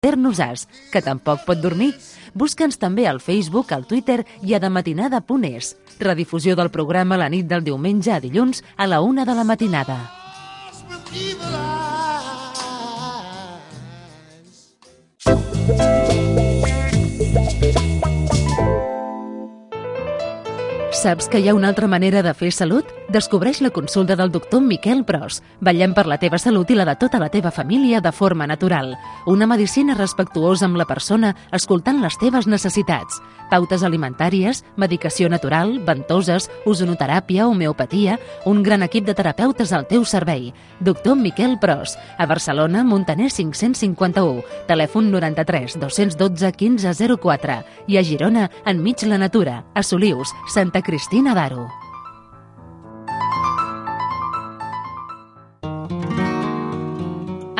Nos-As, que tampoc pot dormir. Busca'ns també al Facebook, al Twitter i a dematinada.es. Redifusió del programa la nit del diumenge a dilluns a la 1 de la matinada. Saps que hi ha una altra manera de fer salut? Descobreix la consulta del doctor Miquel Pros. Vetllem per la teva salut i la de tota la teva família de forma natural. Una medicina respectuosa amb la persona, escoltant les teves necessitats. Pautes alimentàries, medicació natural, ventoses, ozonoteràpia, homeopatia, un gran equip de terapeutes al teu servei. Doctor Miquel Pros, a Barcelona, Montaner 551, telèfon 93 212 1504 i a Girona, enmig la natura, a Solius, Santa Cristina d'Aro.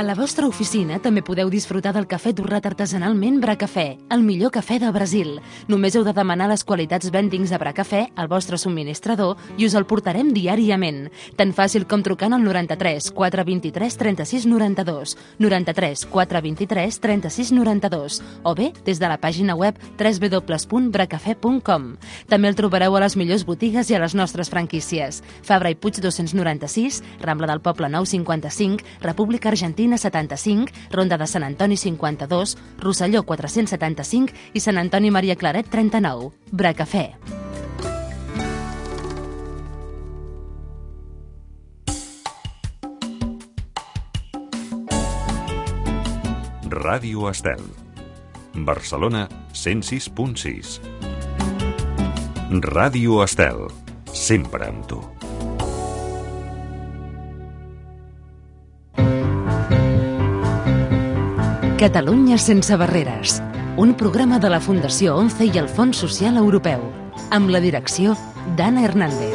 A la vostra oficina també podeu disfrutar del cafè torrat artesanalment Bracafè, el millor cafè de Brasil. Només heu de demanar les qualitats vendings de Bracafè al vostre subministrador i us el portarem diàriament. Tan fàcil com trucant al 93 423 36 92, 93 423 36 92 o bé des de la pàgina web www.bracafè.com. També el trobareu a les millors botigues i a les nostres franquícies. Fabra i Puig 296, Rambla del Poble Nou 55, República Argentina 75, Ronda de Sant Antoni 52, Rosselló 475 i Sant Antoni Maria Claret 39. Bracafè. Ràdio Estel. Barcelona 106.6. Ràdio Estel. Sempre amb tu. Catalunya sense barreres, un programa de la Fundació ONCE i el Fons Social Europeu, amb la direcció d'Anna Hernández.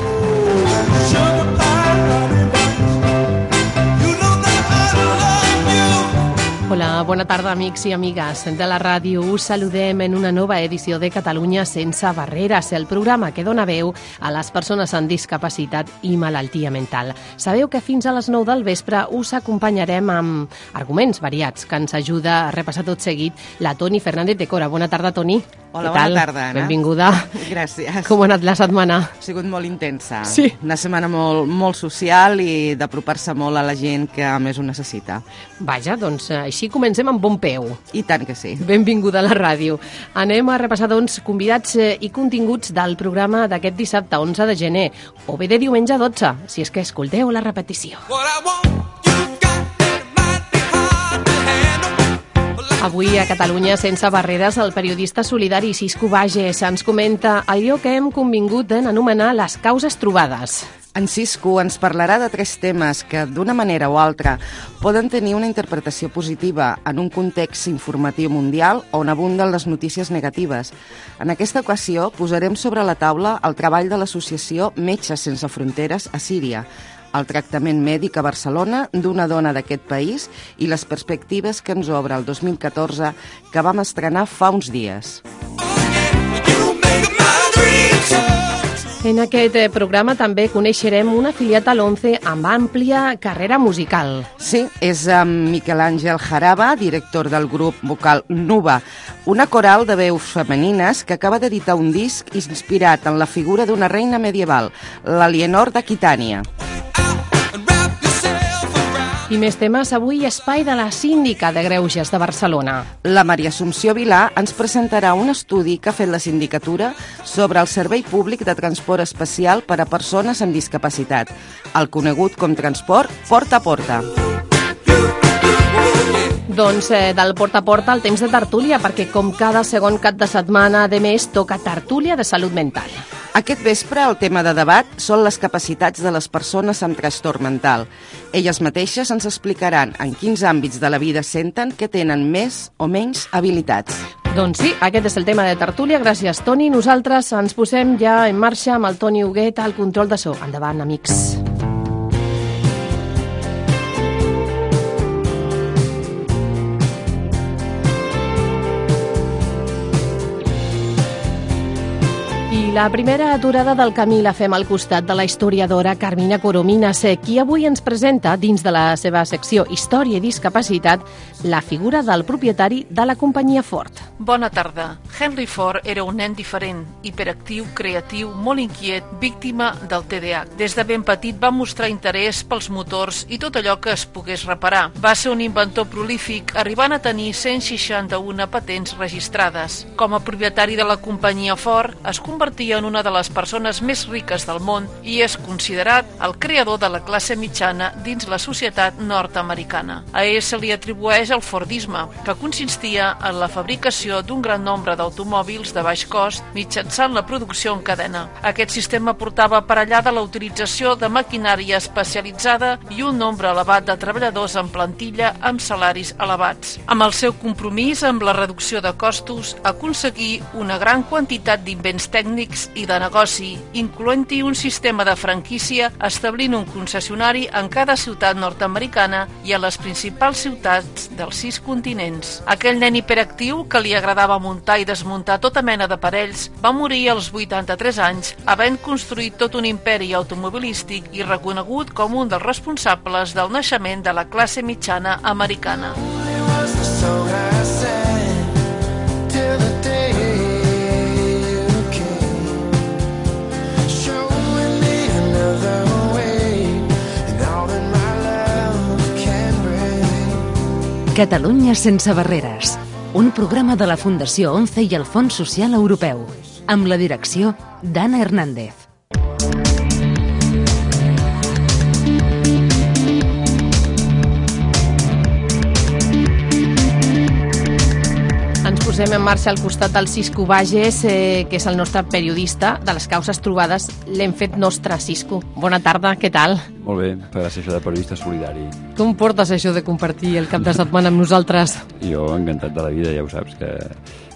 Hola, bona tarda, amics i amigues de la ràdio. Us saludem en una nova edició de Catalunya sense barreres, el programa que dona veu a les persones amb discapacitat i malaltia mental. Sabeu que fins a les 9 del vespre us acompanyarem amb arguments variats que ens ajuda a repassar tot seguit la Toni Fernández de Cora. Bona tarda, Toni. Hola, bona tarda, Anna. Benvinguda. Gràcies. Com ha anat la setmana? Ha sigut molt intensa. Sí. Una setmana molt social i d'apropar-se molt a la gent que més ho necessita. Vaja, doncs així comencem amb bon peu. I tant que sí. Benvinguda a la ràdio. Anem a repassar, doncs, convidats i continguts del programa d'aquest dissabte 11 de gener, o bé de diumenge 12, si és que escolteu la repetició. Avui a Catalunya sense barreres el periodista solidari Cisco Bages ens comenta allò que hem convingut en anomenar les causes trobades. En Cisco ens parlarà de 3 temes que, d'una manera o altra, poden tenir una interpretació positiva en un context informatiu mundial on abunden les notícies negatives. En aquesta ocasió posarem sobre la taula el treball de l'associació Metges Sense Fronteres a Síria, el tractament mèdic a Barcelona d'una dona d'aquest país i les perspectives que ens obre el 2014 que vam estrenar fa uns dies. En aquest programa també coneixerem un afiliat a l'ONCE amb àmplia carrera musical. Sí, és Miquel Àngel Jaraba, director del grup vocal Nuba, una coral de veus femenines que acaba d'editar un disc inspirat en la figura d'una reina medieval, l'Alienor d'Aquitània. I més temes, avui espai de la síndica de Greuges de Barcelona. La Maria Assumpció Vilà ens presentarà un estudi que ha fet la sindicatura sobre el servei públic de transport especial per a persones amb discapacitat, el conegut com transport porta a porta. Doncs del porta a porta al temps de tertúlia, perquè com cada segon cap de setmana de mes toca tertúlia de salut mental. Aquest vespre el tema de debat són les capacitats de les persones amb trastorn mental. Elles mateixes ens explicaran en quins àmbits de la vida senten que tenen més o menys habilitats. Doncs sí, aquest és el tema de tertúlia. Gràcies, Toni. Nosaltres ens posem ja en marxa amb el Toni Huguet al control de so. Endavant, amics. la primera aturada del camí la fem al costat de la historiadora Carmina Corominas, qui avui ens presenta, dins de la seva secció Història i Discapacitat, la figura del propietari de la companyia Ford. Bona tarda. Henry Ford era un nen diferent, hiperactiu, creatiu, molt inquiet, víctima del TDAH. Des de ben petit va mostrar interès pels motors i tot allò que es pogués reparar. Va ser un inventor prolífic, arribant a tenir 161 patents registrades. Com a propietari de la companyia Ford, es convertia en una de les persones més riques del món i és considerat el creador de la classe mitjana dins la societat nord-americana. A ell se li atribueix el Fordisme, que consistia en la fabricació d'un gran nombre d'automòbils de baix cost mitjançant la producció en cadena. Aquest sistema portava aparellada la utilització de maquinària especialitzada i un nombre elevat de treballadors en plantilla amb salaris elevats. Amb el seu compromís amb la reducció de costos, aconseguí una gran quantitat d'invents tècnics i de negoci, incloent-hi un sistema de franquícia establint un concessionari en cada ciutat nord-americana i a les principals ciutats dels 6 continents. Aquell nen hiperactiu que li agradava muntar i desmuntar tota mena d'aparells va morir als 83 anys, havent construït tot un imperi automobilístic i reconegut com un dels responsables del naixement de la classe mitjana americana. Catalunya sense barreres, un programa de la Fundació ONCE i el Fons Social Europeu, amb la direcció d'Anna Hernández. Ens posem en marxa al costat del Cisco Bages, que és el nostre periodista de les causes trobades. L'hem fet nostre, Cisco. Bona tarda, què tal? Molt bé, gràcies això de periodista solidari. Com portes això de compartir el cap de setmana amb nosaltres? Jo encantat de la vida, ja ho saps, que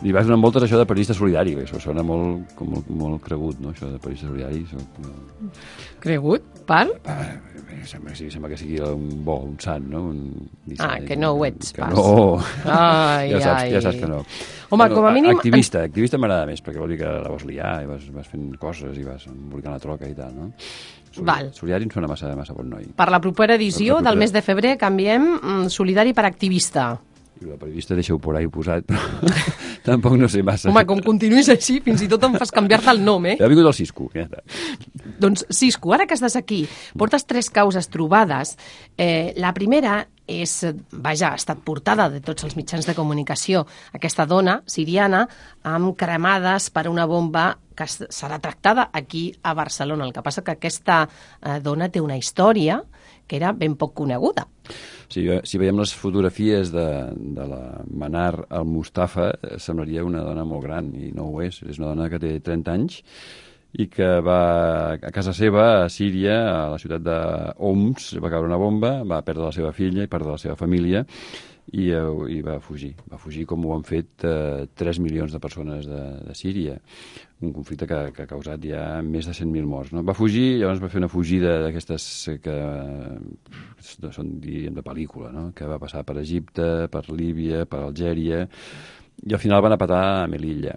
li vas donar moltes això de periodista solidari, que això sona molt cregut, no?, això de periodista solidari. Cregut? Per? Sembla que sigui un sant, no? Que no ho ets, que pas. No, ja saps que no. Home, com a mínim... Activista m'agrada més, perquè vol dir que la vas liar i vas fent coses i vas emborcant la troca i tal, no? Solidari em sona massa bon noi. Per la propera edició del mes de febrer canviem solidari per activista. I la periodista deixa-ho por ahí posat, però tampoc no sé massa. Home, com continuïs així, fins i tot em fas canviar-te el nom, Ha vingut el Cisco, ja està. Doncs, Cisco, ara que estàs aquí, portes 3 causes trobades. La primera és, ha estat portada de tots els mitjans de comunicació, aquesta dona siriana amb cremades per una bomba que serà tractada aquí a Barcelona. El que passa que aquesta dona té una història que era ben poc coneguda. Sí, si veiem les fotografies de la Manar al-Mustafa, semblaria una dona molt gran, i no ho és. És una dona que té 30 anys i que va a casa seva, a Síria, a la ciutat d'Homs, va caure una bomba, va perdre la seva filla i perdre la seva família, i va fugir. Va fugir com ho han fet 3 milions de persones de Síria. Un conflicte que ha causat ja més de 100.000 morts. No? Va fugir, llavors va fer una fugida d'aquestes que són, diríem, de pel·lícula, no? Que va passar per Egipte, per Líbia, per Algèria, i al final van a patar a Melilla.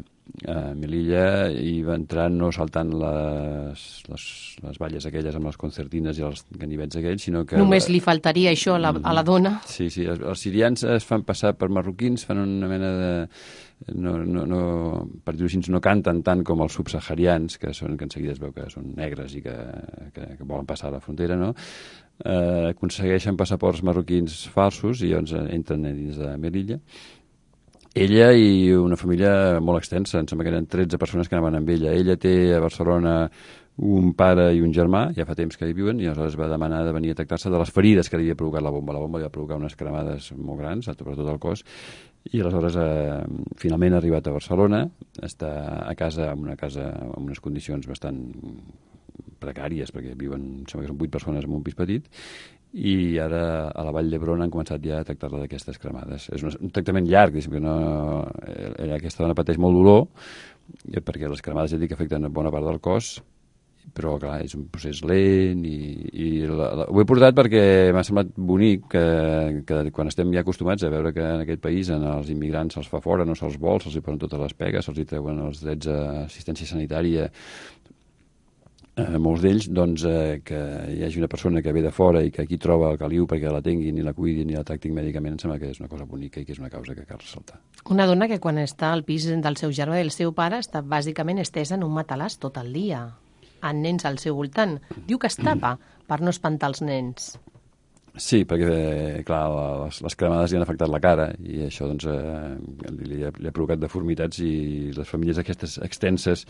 Melilla i va entrar no saltant les valles aquelles amb les concertines i els ganivets aquells, sinó que... Només li faltaria això a la dona. Sí, els sirians es fan passar per marroquins, fan una mena de... per dir-ho així, no canten tant com els subsaharians, que en seguida es veu que són negres i que volen passar a la frontera, no? Aconsegueixen passaports marroquins falsos i llavors entren dins de Melilla. Ella i una família molt extensa, em sembla que eren 13 persones que anaven amb ella. Ella té a Barcelona un pare i un germà, ja fa temps que hi viuen, i aleshores va demanar de venir a tractar-se de les ferides que li havia provocat la bomba. La bomba li va provocar unes cremades molt grans, per tot el cos, i aleshores finalment ha arribat a Barcelona, està a casa, en unes condicions bastant precàries, perquè viuen, sembla que són 8 persones en un pis petit, i ara a la Vall d'Hebron han començat ja a tractar-la d'aquestes cremades. És un tractament llarg, que aquesta dona pateix molt dolor, perquè les cremades ja dic que afecten bona part del cos, però clar, és un procés lent ho he portat perquè m'ha semblat bonic que quan estem ja acostumats a veure que en aquest país els immigrants se'ls fa fora, no se'ls vol, se'ls hi posen totes les pegues, se'ls hi treuen els drets a assistència sanitària, molts d'ells, doncs, que hi hagi una persona que ve de fora i que aquí troba el caliu perquè la tinguin i la cuidin i la tractin mèdicament, em sembla que és una cosa bonica i que és una causa que cal ressaltar. Una dona que quan està al pis del seu germà i del seu pare està bàsicament estesa en un matalàs tot el dia, amb nens al seu voltant. Diu que es tapa per no espantar els nens. Sí, perquè, clar, les cremades li han afectat la cara i això doncs, li ha provocat deformitats i les famílies aquestes extenses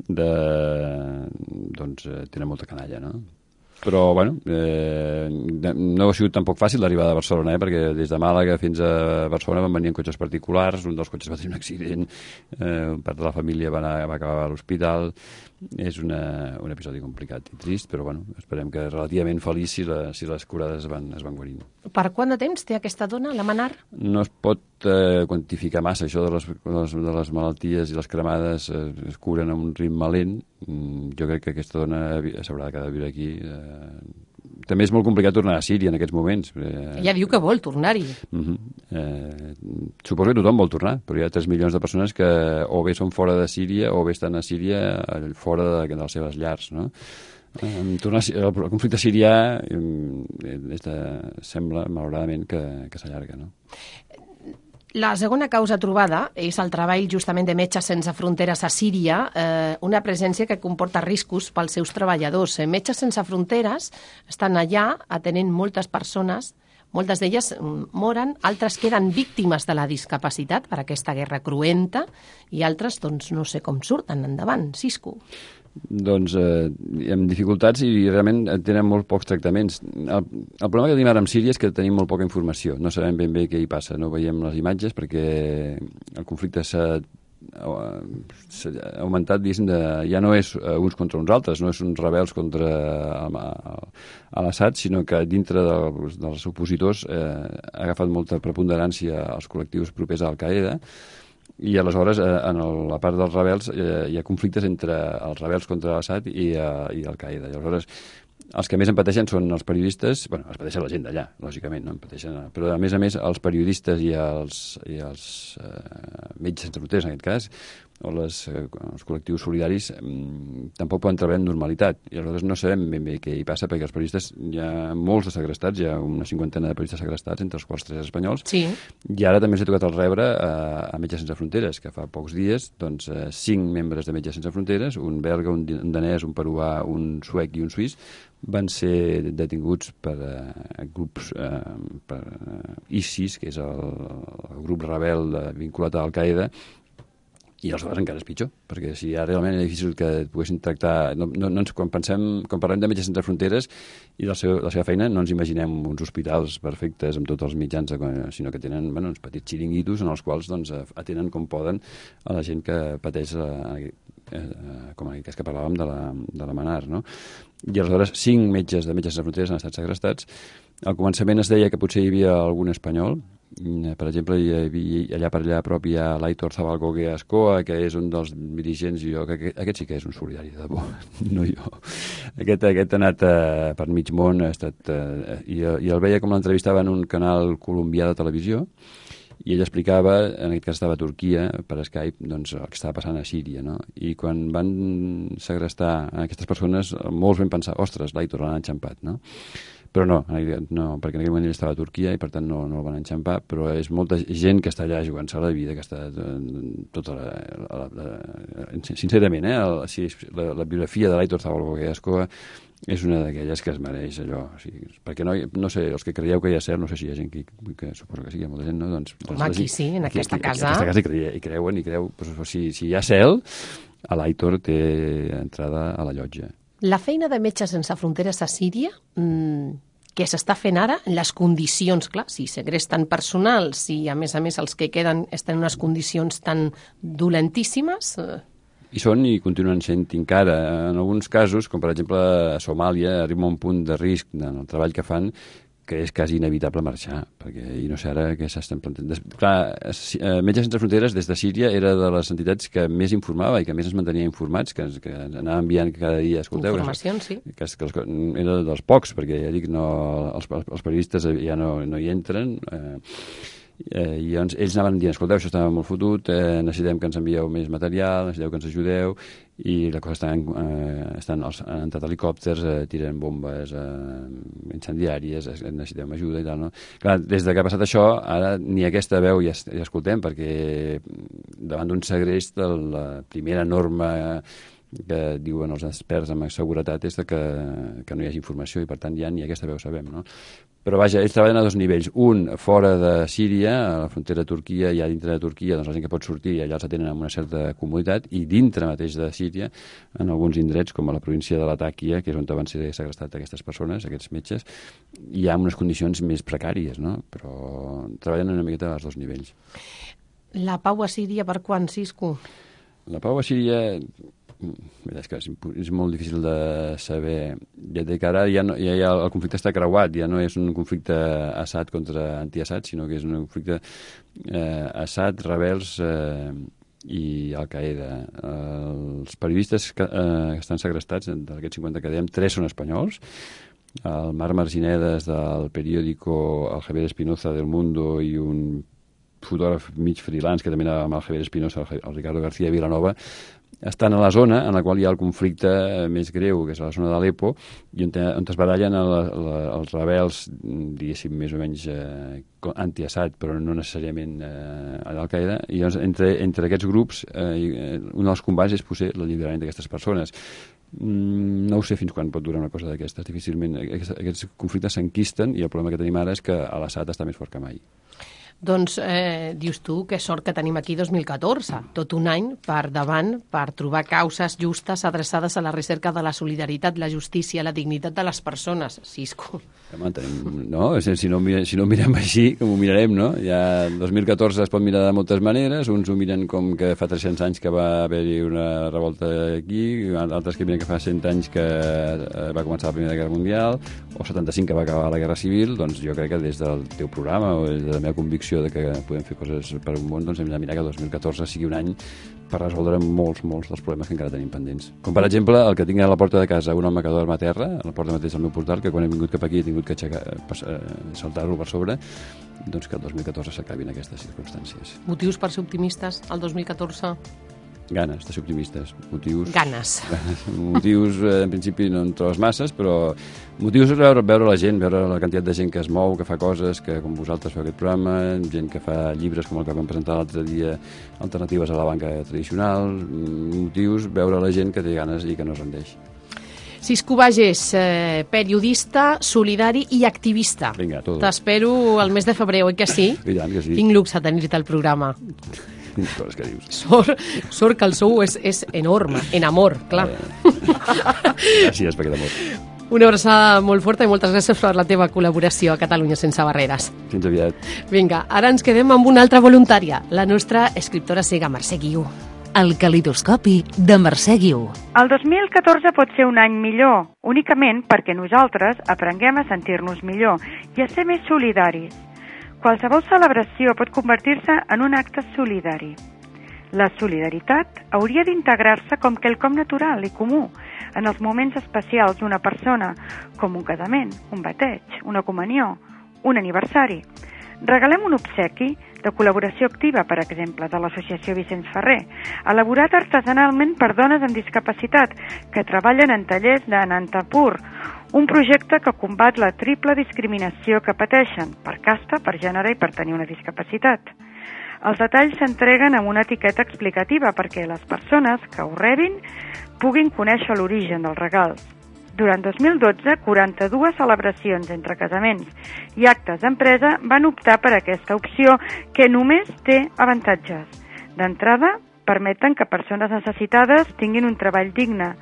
doncs, tenen molta canalla, no? Però, bueno, no ha sigut tampoc fàcil l'arribada a Barcelona, perquè des de Màlaga fins a Barcelona van venir en cotxes particulars, un dels cotxes va tenir un accident, part de la família va acabar a l'hospital. És un episodi complicat i trist, però bueno, esperem que relativament feliç si les curades es van guarint. Per quant de temps té aquesta dona, la Manar? No es pot quantificar massa, això de les malalties i les cremades es curen a un ritme lent. Jo crec que aquesta dona s'haurà de quedar a viure aquí. També és molt complicat tornar a Síria en aquests moments. Ella diu que vol tornar-hi. Suposo que tothom vol tornar, però hi ha 3 milions de persones que o bé són fora de Síria o bé estan a Síria fora de les seves llars, no? El conflicte sirià sembla, malauradament, que s'allarga, no? La segona causa trobada és el treball justament de Metges Sense Fronteres a Síria, una presència que comporta riscos pels seus treballadors. Metges Sense Fronteres estan allà atenent moltes persones, moltes d'elles moren, altres queden víctimes de la discapacitat per aquesta guerra cruenta i altres, doncs, no sé com surten endavant. Sisco. Doncs amb dificultats i realment tenen molt pocs tractaments. El problema que tenim ara amb Síria és que tenim molt poca informació. No sabem ben bé què hi passa. No veiem les imatges perquè el conflicte s'ha augmentat, diguéssim, ja no és uns contra uns altres, no és uns rebels contra l'Assad, sinó que dintre dels opositors ha agafat molta preponderància als col·lectius propers a Al-Qaeda. I aleshores, en la part dels rebels, hi ha conflictes entre els rebels contra l'Assad i Al-Qaeda. I aleshores, els que més en pateixen són els periodistes, bueno, els pateixen la gent d'allà, lògicament, no? Però a més, els periodistes i els metges sense fronteres, en aquest cas, o els col·lectius solidaris tampoc poden treballar amb normalitat. I aleshores no sabem ben bé què hi passa, perquè els periodistes, hi ha molts de segrestats, hi ha una 50ena de periodistes segrestats, entre els quals 3 espanyols, sí. I ara també ens ha tocat el rebre a Metges Sense Fronteres, que fa pocs dies, doncs, 5 membres de Metges Sense Fronteres, un belga, un danès, un peruà, un suec i un suís, van ser detinguts per grups, per ISIS, que és el grup rebel vinculat a Al-Qaeda, i aleshores encara és pitjor, perquè si ja realment és difícil que et poguessin tractar... Quan parlem de Metges Sense Fronteres i de la seva feina, no ens imaginem uns hospitals perfectes amb tots els mitjans, sinó que tenen uns petits xiringuitos en els quals atenen com poden a la gent que pateix, com en aquest cas que parlàvem de la Manar, no? I aleshores 5 metges de Metges Sense Fronteres han estat segrestats. Al començament es deia que potser hi havia algun espanyol. Per exemple, allà a prop hi ha l'Aitor Zabalgogue Ascoa, que és un dels dirigents, i jo, que aquest sí que és un solidari, de debò, no jo. Aquest ha anat per mig món, i el veia com l'entrevistava en un canal colombià de televisió, i ell explicava, en aquest cas estava a Turquia, per Skype, doncs, el que estava passant a Síria, no? I quan van segrestar aquestes persones, molts van pensar, ostres, l'Aitor l'han enxampat, no? Però no, perquè en aquell moment ell estava a Turquia i per tant no el van enxampar, però és molta gent que està allà jugant-se la vida, que està tota sincerament, la biografia de l'Aitor Zabalgogue Ascoa és una d'aquelles que es mereix allò. O sigui, perquè no sé, els que creieu que hi ha cert, no sé si hi ha gent que suposo que sí, hi ha molta gent, no? Home, aquí sí, en aquesta casa. En aquesta casa hi creuen, si hi ha cel, l'Aitor té entrada a la llotja. La feina de Metges Sense Fronteres a Síria, què s'està fent ara, les condicions, clar, si segresten personal, si a més els que queden estan en unes condicions tan dolentíssimes... I són i continuen sent encara. En alguns casos, com per exemple a Somàlia, arriba a un punt de risc en el treball que fan que és quasi inevitable marxar, perquè i no sé ara què s'estan plantant. Clar, Metges Sense Fronteres des de Síria era de les entitats que més informava i que més ens mantenia informats, que anava enviant cada dia, escolteu... Informacions, sí. Que era dels pocs, perquè ja dic, els periodistes ja no hi entren, i llavors ells anaven dient, escolteu, això estava molt fotut, necessitem que ens envieu més material, necessiteu que ens ajudeu, i la cosa estan entrat helicòpters, tiren bombes incendiàries, necessitem ajuda i tal, no? Clar, des que ha passat això, ara ni aquesta veu ja escoltem, perquè davant d'un segrest, la primera norma que diuen els experts en seguretat és que no hi hagi informació i per tant ja ni aquesta veu sabem, no? Però vaja, ells treballen a dos nivells. Un, fora de Síria, a la frontera de Turquia, i dintre de Turquia, doncs la gent que pot sortir allà els atenen amb una certa comoditat, i dintre mateix de Síria, en alguns indrets, com a la província de Latakia, que és on van ser segrestats aquestes persones, aquests metges, hi ha unes condicions més precàries, no? Però treballen una miqueta als dos nivells. La pau a Síria per quan, Cisco? La pau a Síria... És que és molt difícil de saber. Ja que ara el conflicte està creuat, ja no és un conflicte Assad contra anti-Assad, sinó que és un conflicte Assad, rebels i Al-Qaeda. Els periodistes que estan segrestats, d'aquests 50 que dèiem, 3 són espanyols. El Marc Marginedes del periòdico El Javier Espinoza del Mundo i un fotògraf mig freelance que també anava amb el Javier Espinoza, el Ricardo García Vilanova, estan a la zona en la qual hi ha el conflicte més greu, que és la zona d'Alepo, i on es barallen els rebels, diguéssim, més o menys anti-Assad, però no necessàriament a l'Al-Qaeda, i llavors, entre aquests grups, un dels combats és potser l'alliberament d'aquestes persones. No ho sé fins quan pot durar una cosa d'aquestes. Difícilment aquests conflictes s'enquisten, i el problema que tenim ara és que l'Assad està més fort que mai. Doncs dius tu que sort que tenim aquí 2014, tot un any per davant per trobar causes justes adreçades a la recerca de la solidaritat, la justícia, la dignitat de les persones. Cisco. No, si no mirem així, com ho mirarem, no? Ja 2014 es pot mirar de moltes maneres, uns ho miren com que fa 300 anys que va haver-hi una revolta aquí, altres que miren que fa 100 anys que va començar la Primera Guerra Mundial, o 75 que va acabar la Guerra Civil. Doncs jo crec que des del teu programa o des de la meva convicció de que podem fer coses per un món, doncs hem de mirar que 2014 sigui un any per resoldre molts dels problemes que encara tenim pendents. Com per exemple, el que tinc a la porta de casa un home que dorm a terra, a la porta mateix del meu portal, que quan he vingut cap aquí he tingut que saltar-lo per sobre, doncs que el 2014 s'acabin aquestes circumstàncies. Motius per ser optimistes al 2014? Ganes de ser optimistes. Ganes. Motius, en principi, no en trobes masses, però motius és veure la gent, veure la quantitat de gent que es mou, que fa coses, que com vosaltres feu aquest programa, gent que fa llibres com el que vam presentar l'altre dia, alternatives a la banca tradicional, motius, veure la gent que té ganes i que no es rendeix. Cisco Bages, periodista, solidari i activista. Vinga, tot. T'espero el mes de febrer, oi que sí? I tant que sí. Quin luxe tenir-te al programa. Coses que dius. Sort que el sou és enorme, en amor, clar. Gràcies per aquest amor. Una abraçada molt forta i moltes gràcies per la teva col·laboració a Catalunya Sense Barreres. Fins aviat. Vinga, ara ens quedem amb una altra voluntària, la nostra escriptora cega Mercè Guiu. El calidoscopi de Mercè Guiu. El 2014 pot ser un any millor, únicament perquè nosaltres aprenguem a sentir-nos millor i a ser més solidaris. Qualsevol celebració pot convertir-se en un acte solidari. La solidaritat hauria d'integrar-se com quelcom natural i comú en els moments especials d'una persona, com un casament, un bateig, una comunió, un aniversari. Regalem un obsequi de col·laboració activa, per exemple, de l'Associació Vicenç Ferrer, elaborat artesanalment per dones amb discapacitat que treballen en tallers de Nantapur, un projecte que combat la triple discriminació que pateixen per casta, per gènere i per tenir una discapacitat. Els detalls s'entreguen amb una etiqueta explicativa perquè les persones que ho rebin puguin conèixer l'origen dels regals. Durant 2012, 42 celebracions entre casaments i actes d'empresa van optar per aquesta opció que només té avantatges. D'entrada, permeten que persones necessitades tinguin un treball digne.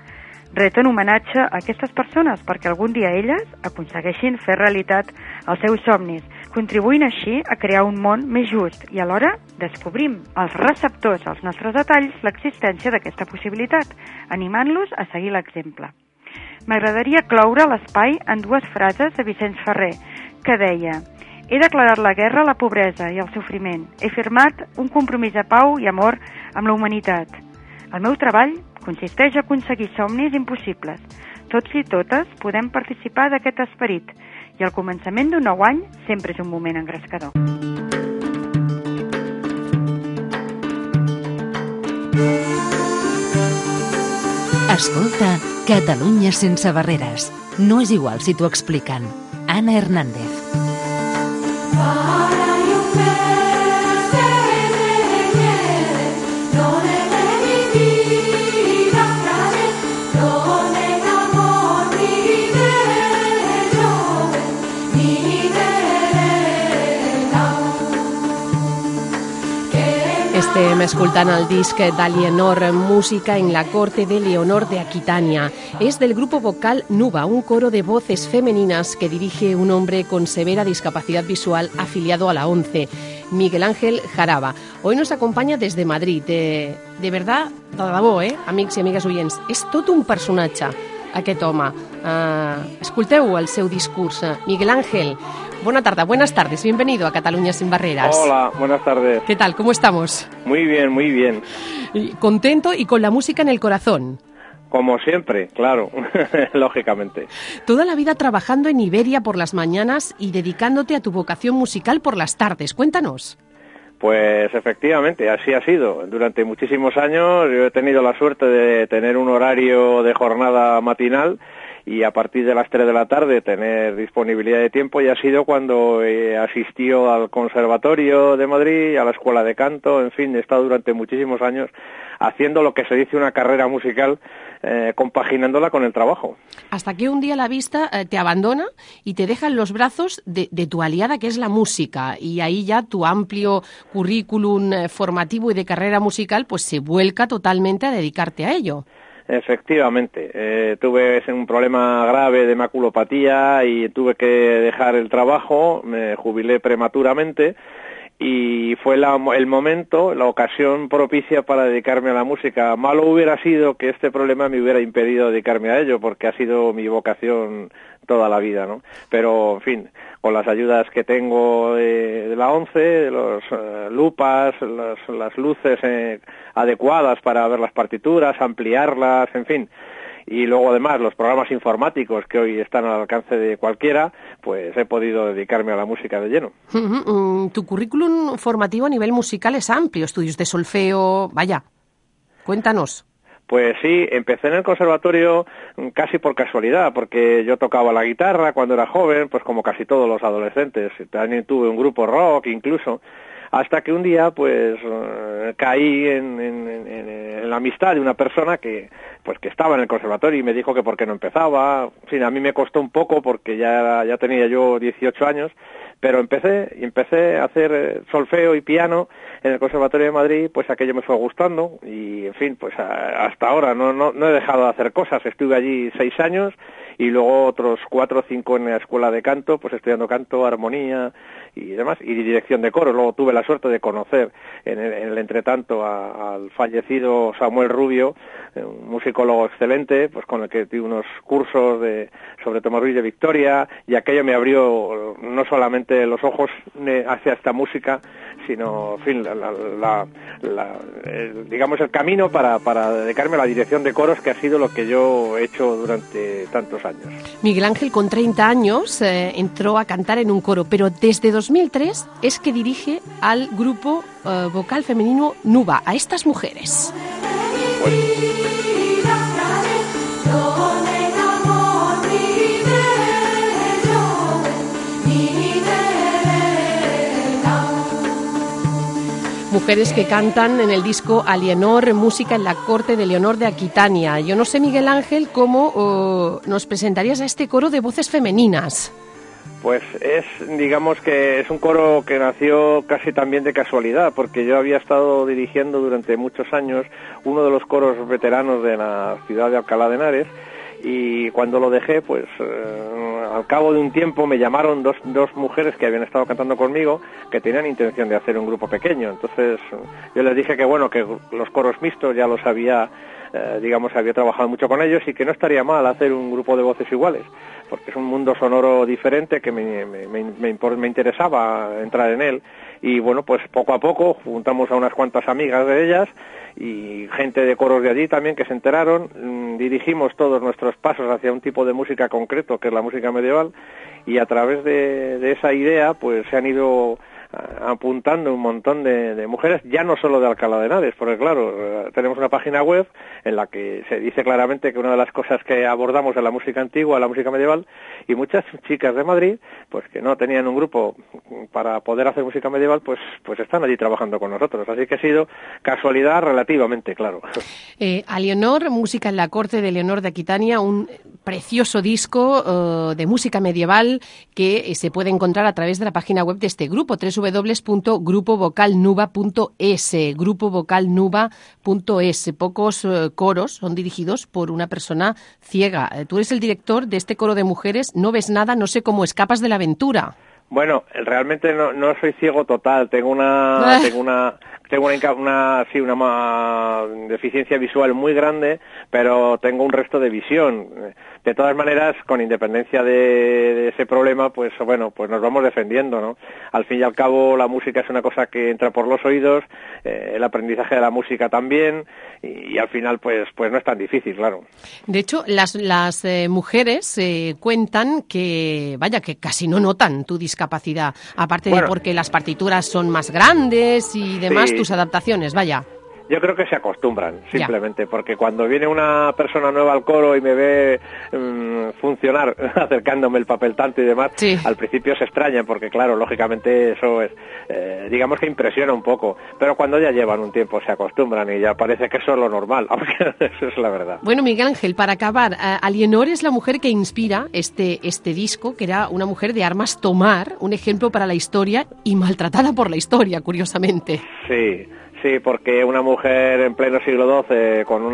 Reten homenatge a aquestes persones perquè algun dia elles aconsegueixin fer realitat els seus somnis, contribuint així a crear un món més just i alhora descobrim als receptors dels nostres detalls l'existència d'aquesta possibilitat, animant-los a seguir l'exemple. M'agradaria cloure l'espai en dues frases de Vicenç Ferrer, que deia: he declarat la guerra a la pobresa i al sofriment. He firmat un compromís de pau i amor amb la humanitat. El meu treball consisteix a aconseguir somnis impossibles. Tots i totes podem participar d'aquest esperit i el començament d'un nou any sempre és un moment engrescador. Escolta Catalunya sense barreres. No és igual si t'ho expliquen. Ana Hernández. Estem escoltant el disc d'Alienor, Música en la corte de Leonor de Aquitania. Es del grupo vocal Nuba, un coro de voces femeninas que dirige un hombre con severa discapacidad visual afiliado a la ONCE, Miguel Ángel Jaraba. Hoy nos acompanya des de Madrid. De verdad, de debò, amics i amigues oients, és tot un personatge, aquest home. Escolteu el seu discurs. Miguel Ángel, buenas tardes, bienvenido a Cataluña sin barreras. Hola, buenas tardes. ¿Qué tal? ¿Cómo estamos? Muy bien, muy bien. ¿Contento y con la música en el corazón? Como siempre, claro, lógicamente. Toda la vida trabajando en Iberia por las mañanas y dedicándote a tu vocación musical por las tardes. Cuéntanos. Pues efectivamente, así ha sido. Durante muchísimos años yo he tenido la suerte de tener un horario de jornada matinal y a partir de las 3 de la tarde tener disponibilidad de tiempo, y ha sido cuando asistió al Conservatorio de Madrid, a la Escuela de Canto, en fin, he estado durante muchísimos años haciendo lo que se dice una carrera musical, compaginándola con el trabajo. Hasta que un día la vista te abandona y te deja en los brazos de tu aliada, que es la música, y ahí ya tu amplio currículum formativo y de carrera musical pues se vuelca totalmente a dedicarte a ello. Efectivamente, tuve un problema grave de maculopatía y tuve que dejar el trabajo, me jubilé prematuramente y fue el momento, la ocasión propicia para dedicarme a la música. Malo hubiera sido que este problema me hubiera impedido dedicarme a ello, porque ha sido mi vocación toda la vida, ¿no? Pero, en fin, con las ayudas que tengo de la ONCE, de los lupas, las luces adecuadas para ver las partituras, ampliarlas, en fin, y luego además los programas informáticos que hoy están al alcance de cualquiera, pues he podido dedicarme a la música de lleno. Tu currículum formativo a nivel musical es amplio, estudios de solfeo, vaya, cuéntanos. Pues sí, empecé en el conservatorio casi por casualidad, porque yo tocaba la guitarra cuando era joven, pues como casi todos los adolescentes. También tuve un grupo rock incluso, hasta que un día pues caí en la amistad de una persona que estaba en el conservatorio y me dijo que por qué no empezaba. En fin, a mí me costó un poco porque ya tenía yo 18 años, pero empecé a hacer solfeo y piano en el Conservatorio de Madrid. Pues aquello me fue gustando y, en fin, pues hasta ahora no he dejado de hacer cosas. Estuve allí 6 años y luego otros 4 o 5 en la Escuela de Canto, pues estudiando canto, armonía y demás, y dirección de coros. Luego tuve la suerte de conocer en el entretanto al fallecido Samuel Rubio, un musicólogo excelente, pues con el que tuve unos cursos sobre Tomás Ruiz de Victoria, y aquello me abrió no solamente los ojos hacia esta música, sino, en fin, digamos el camino para dedicarme a la dirección de coros, que ha sido lo que yo he hecho durante tantos años. Miguel Ángel, con 30 años, entró a cantar en un coro, pero desde 2003 es que dirige al grupo vocal femenino Nuba, a estas mujeres. Mujeres que cantan en el disco Alienor, Música en la corte de Leonor de Aquitania. Yo no sé, Miguel Ángel, cómo nos presentarías a este coro de voces femeninas. Pues digamos que es un coro que nació casi también de casualidad, porque yo había estado dirigiendo durante muchos años uno de los coros veteranos de la ciudad de Alcalá de Henares, y cuando lo dejé, pues al cabo de un tiempo me llamaron dos mujeres que habían estado cantando conmigo, que tenían intención de hacer un grupo pequeño. Entonces yo les dije que bueno, que los coros mixtos ya los había, había trabajado mucho con ellos y que no estaría mal hacer un grupo de voces iguales, porque es un mundo sonoro diferente que me interesaba entrar en él. Y bueno, pues poco a poco juntamos a unas cuantas amigas de ellas y gente de coros de allí también que se enteraron, dirigimos todos nuestros pasos hacia un tipo de música concreto, que es la música medieval, y a través de esa idea pues se han ido apuntando un montón de mujeres, ya no solo de Alcalá de Henares, porque claro, tenemos una página web en la que se dice claramente que una de las cosas que abordamos es la música antigua, la música medieval, y muchas chicas de Madrid, pues que no tenían un grupo para poder hacer música medieval, pues están allí trabajando con nosotros, así que ha sido casualidad relativamente, claro. A Leonor, música en la corte de Leonor de Aquitania, un precioso disco de música medieval que se puede encontrar a través de la página web de este grupo, www.grupovocalnuba.es, grupovocalnuba.es. Pocos coros son dirigidos por una persona ciega. Tú eres el director de este coro de mujeres, no ves nada, no sé cómo escapas de la aventura. Bueno, realmente no soy ciego total, tengo una deficiencia visual muy grande, pero tengo un resto de visión. De todas maneras, con independencia de ese problema, pues bueno, pues nos vamos defendiendo, ¿no? Al fin y al cabo, la música es una cosa que entra por los oídos, el aprendizaje de la música también, y al final, pues no es tan difícil, claro. De hecho, las mujeres cuentan que casi no notan tu discapacidad, aparte de porque las partituras son más grandes y demás, sí. Tus adaptaciones, vaya. Yo creo que se acostumbran, simplemente, porque cuando viene una persona nueva al coro y me ve funcionar, acercándome el papel tanto y demás, sí. Al principio se extrañan, porque claro, lógicamente eso es, digamos que impresiona un poco, pero cuando ya llevan un tiempo se acostumbran y ya parece que eso es lo normal, aunque eso es la verdad. Bueno, Miguel Ángel, para acabar, Alienor es la mujer que inspira este disco, que era una mujer de armas tomar, un ejemplo para la historia y maltratada por la historia, curiosamente. Sí, porque una mujer en pleno siglo XII con un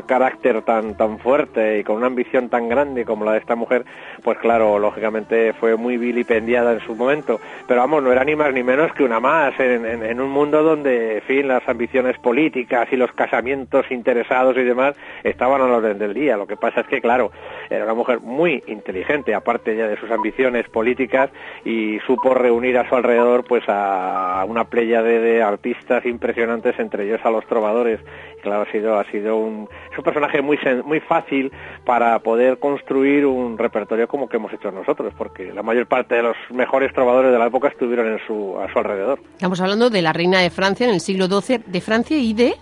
carácter tan fuerte y con una ambición tan grande como la de esta mujer, pues claro, lógicamente fue muy vilipendiada en su momento. Pero vamos, no era ni más ni menos que una más en un mundo donde, en fin, las ambiciones políticas y los casamientos interesados y demás estaban a la orden del día. Lo que pasa es que, claro, era una mujer muy inteligente, aparte ya de sus ambiciones políticas, y supo reunir a su alrededor pues a una pléyade de artistas impresionantes, entre ellos a los trovadores. Y claro, ha sido un personaje muy fácil para poder construir un repertorio como que hemos hecho nosotros, porque la mayor parte de los mejores trovadores de la época estuvieron a su alrededor. Estamos hablando de la reina de Francia en el siglo XII, de Francia y de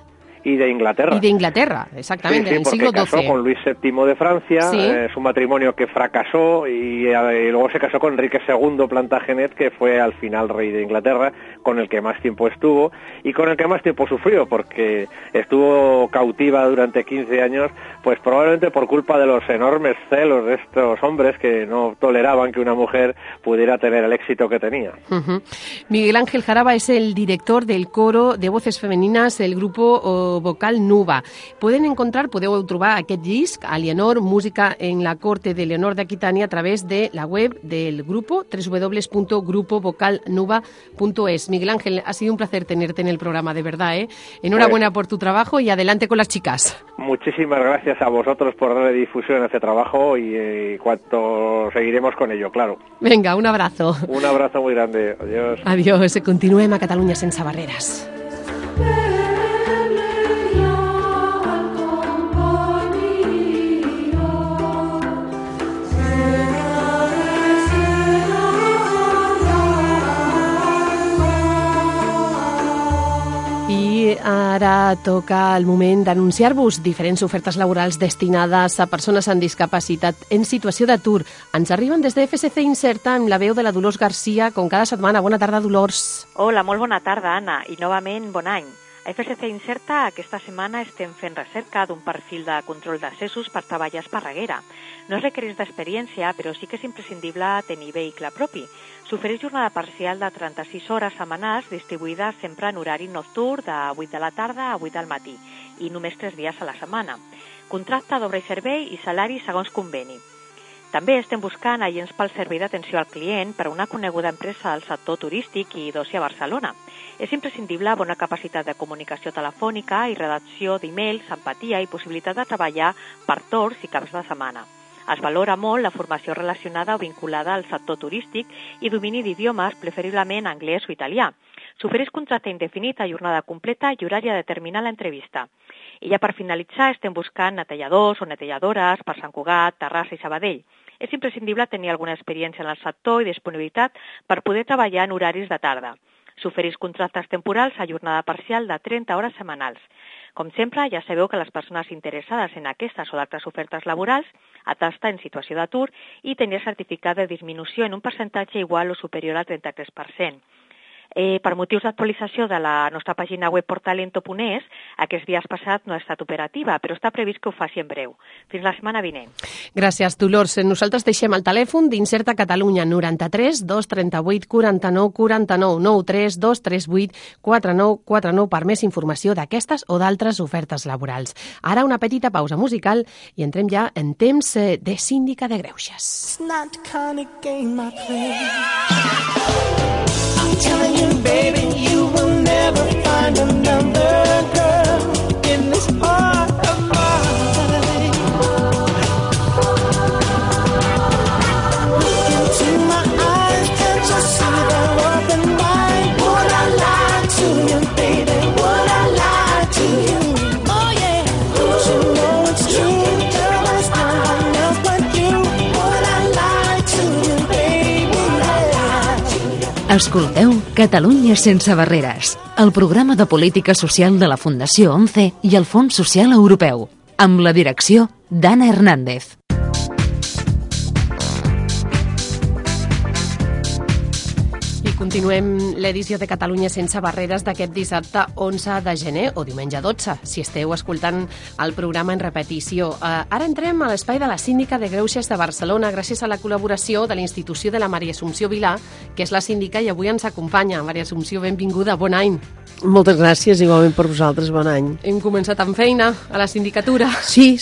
Inglaterra. Y de Inglaterra, exactamente, sí, en el siglo XII. Casó con Luis VII de Francia, sí. Es un matrimonio que fracasó y luego se casó con Enrique II Plantagenet, que fue al final rey de Inglaterra, con el que más tiempo estuvo y con el que más tiempo sufrió, porque estuvo cautiva durante 15 años, pues probablemente por culpa de los enormes celos de estos hombres que no toleraban que una mujer pudiera tener el éxito que tenía. Uh-huh. Miguel Ángel Jaraba es el director del coro de voces femeninas del grupo Vocal Nuba. Podeu trobar aquest disc, Alienor, música en la corte de Leonor de Aquitania, a través de la web del grupo, www.grupovocalnuba.es. Miguel Ángel, ha sido un placer tenerte en el programa, de verdad, ¿eh? Enhorabuena por tu trabajo y adelante con las chicas. Muchísimas gracias a vosotros por darle difusión a este trabajo y cuanto seguiremos con ello, claro. Venga, un abrazo. Un abrazo muy grande. Adiós. Adiós. Continuem a Catalunya sense barreres. Ara toca el moment d'anunciar-vos diferents ofertes laborals destinades a persones amb discapacitat en situació d'atur. Ens arriben des de FSC Inserta amb la veu de la Dolors Garcia, com cada setmana. Bona tarda, Dolors. Hola, molt bona tarda, Anna, i novament bon any. A FSC Inserta aquesta setmana estem fent recerca d'un perfil de control d'accessos per treballar a Esparreguera. No es requereix d'experiència, però sí que és imprescindible tenir vehicle propi. S'ofereix jornada parcial de 36 hores setmanals distribuïdes sempre en horari nocturn de 8 de la tarda a 8 del matí i només 3 dies a la setmana. Contracte d'obra i servei i salari segons conveni. També estem buscant agents pel servei d'atenció al client per a una coneguda empresa del sector turístic i d'oci a Barcelona. És imprescindible bona capacitat de comunicació telefònica i redacció d'e-mails, empatia i possibilitat de treballar per torns i caps de setmana. Es valora molt la formació relacionada o vinculada al sector turístic i domini d'idiomes, preferiblement anglès o italià. S'ofereix contracte indefinit a jornada completa i horari a determinar l'entrevista. I ja per finalitzar estem buscant netelladors o netelladores per Sant Cugat, Terrassa i Sabadell. És imprescindible tenir alguna experiència en el sector i disponibilitat per poder treballar en horaris de tarda. S'ofereix contractes temporals a jornada parcial de 30 hores setmanals. Com sempre, ja sabeu que les persones interessades en aquestes o d'altres ofertes laborals han d'estar en situació d'atur i tenir certificat de disminució en un percentatge igual o superior al 33%. Per motius d'actualització de la nostra pàgina web portalento.es, aquests dies passats no ha estat operativa, però està previst que ho faci en breu. Fins la setmana vinent. Gràcies, Dolors. Nosaltres deixem el telèfon d'Inserta Catalunya 93 238 49 49 93 238 49 49 per més informació d'aquestes o d'altres ofertes laborals. Ara una petita pausa musical i entrem ja en temps de síndica de greuges. I'm telling you, baby, you will never find another girl in this part of my life. Look into my eyes, can't you see they're open wide? Would I lie to you, baby? Would I lie to you? Oh yeah, don't you know it's true? Girl, there's no one else but you. Would I lie to you, baby? Escolteu Catalunya sense barreres, el programa de política social de la Fundació 11 i el Fons Social Europeu, amb la direcció d'Anna Hernández. Continuem l'edició de Catalunya sense barreres d'aquest dissabte 11 de gener o diumenge 12, si esteu escoltant el programa en repetició. Ara entrem a l'espai de la síndica de greuges de Barcelona gràcies a la col·laboració de la institució de la Maria Assumpció Vilà, que és la síndica i avui ens acompanya. Maria Assumpció, benvinguda, bon any. Moltes gràcies, igualment per vosaltres, bon any. Hem començat amb feina a la sindicatura. Sí,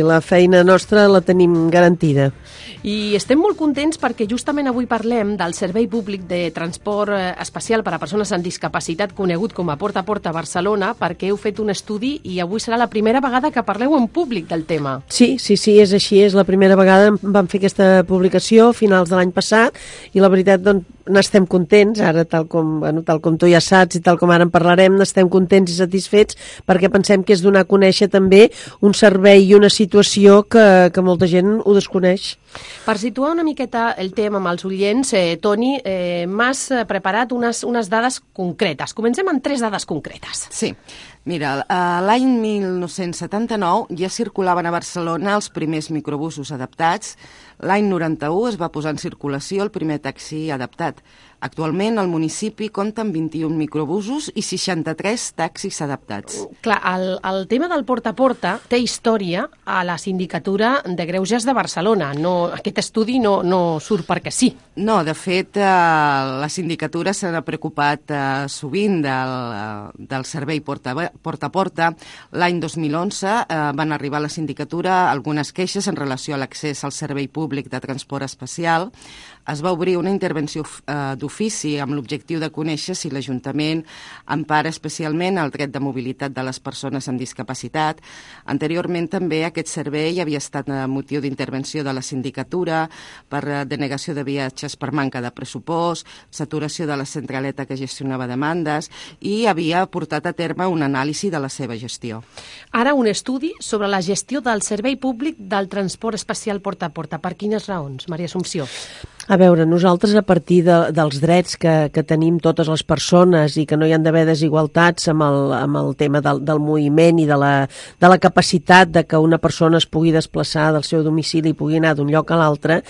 la feina nostra la tenim garantida. I estem molt contents perquè justament avui parlem del Servei Públic de Transport Especial per a Persones amb Discapacitat, conegut com a Porta a Porta a Barcelona, perquè heu fet un estudi i avui serà la primera vegada que parleu en públic del tema. Sí, és així, és la primera vegada. Vam fer aquesta publicació a finals de l'any passat i la veritat, doncs, n'estem contents, ara tal com tu ja saps i tal com ara en parlarem, n'estem contents i satisfets perquè pensem que és donar a conèixer també un servei i una situació que molta gent ho desconeix. Per situar una miqueta el tema amb els oients, Toni, m'has preparat unes dades concretes. Comencem amb 3 dades concretes. Sí. Mira, l'any 1979 ja circulaven a Barcelona els primers microbusos adaptats. L'any 91 es va posar en circulació el primer taxi adaptat. Actualment el municipi compta amb 21 microbusos i 63 taxis adaptats. Clar, el tema del porta a porta té història a la Sindicatura de Greuges de Barcelona. Aquest estudi no surt perquè sí. No, de fet, la Sindicatura s'ha preocupat sovint del servei porta a porta. L'any 2011 van arribar a la Sindicatura algunes queixes en relació a l'accés al servei públic de transport especial. Es va obrir una intervenció d'ofici amb l'objectiu de conèixer si l'Ajuntament empara especialment el dret de mobilitat de les persones amb discapacitat. Anteriorment també aquest servei havia estat motiu d'intervenció de la Sindicatura per denegació de viatges per manca de pressupost, saturació de la centraleta que gestionava demandes i havia portat a terme una anàlisi de la seva gestió. Ara un estudi sobre la gestió del servei públic del transport especial porta a porta. Per quines raons, Maria Assumpció? A veure, nosaltres a partir dels drets que tenim totes les persones i que no hi han d'haver desigualtats amb el tema del moviment i de la capacitat de que una persona es pugui desplaçar del seu domicili i pugui anar d'un lloc a l'altre,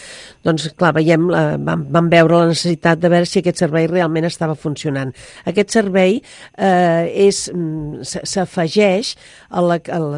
doncs clar, vam veure la necessitat de veure si aquest servei realment estava funcionant. Aquest servei s'afegeix a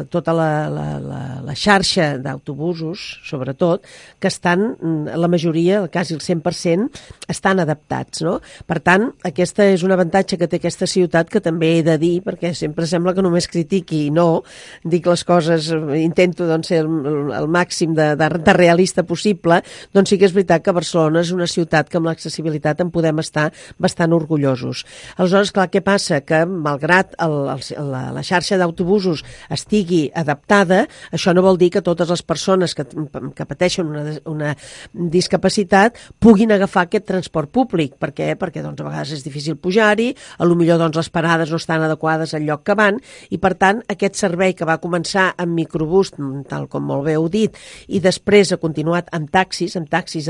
tota la xarxa d'autobusos, sobretot, que estan, la majoria, quasi quasi el 100%, estan adaptats, no? Per tant, aquesta és un avantatge que té aquesta ciutat, que també he de dir, perquè sempre sembla que només critiqui, i no, dic les coses, intento doncs, ser el màxim de realista possible, doncs sí que és veritat que Barcelona és una ciutat que amb l'accessibilitat en podem estar bastant orgullosos. Aleshores, clar, què passa? Que malgrat la xarxa d'autobusos estigui adaptada, això no vol dir que totes les persones que pateixen una discapacitat puguin agafar aquest transport públic. Per què? Perquè doncs, a vegades és difícil pujar-hi, potser doncs, les parades no estan adequades al lloc que van, i per tant aquest servei que va començar amb microbús, tal com molt bé heu dit, i després ha continuat amb taxis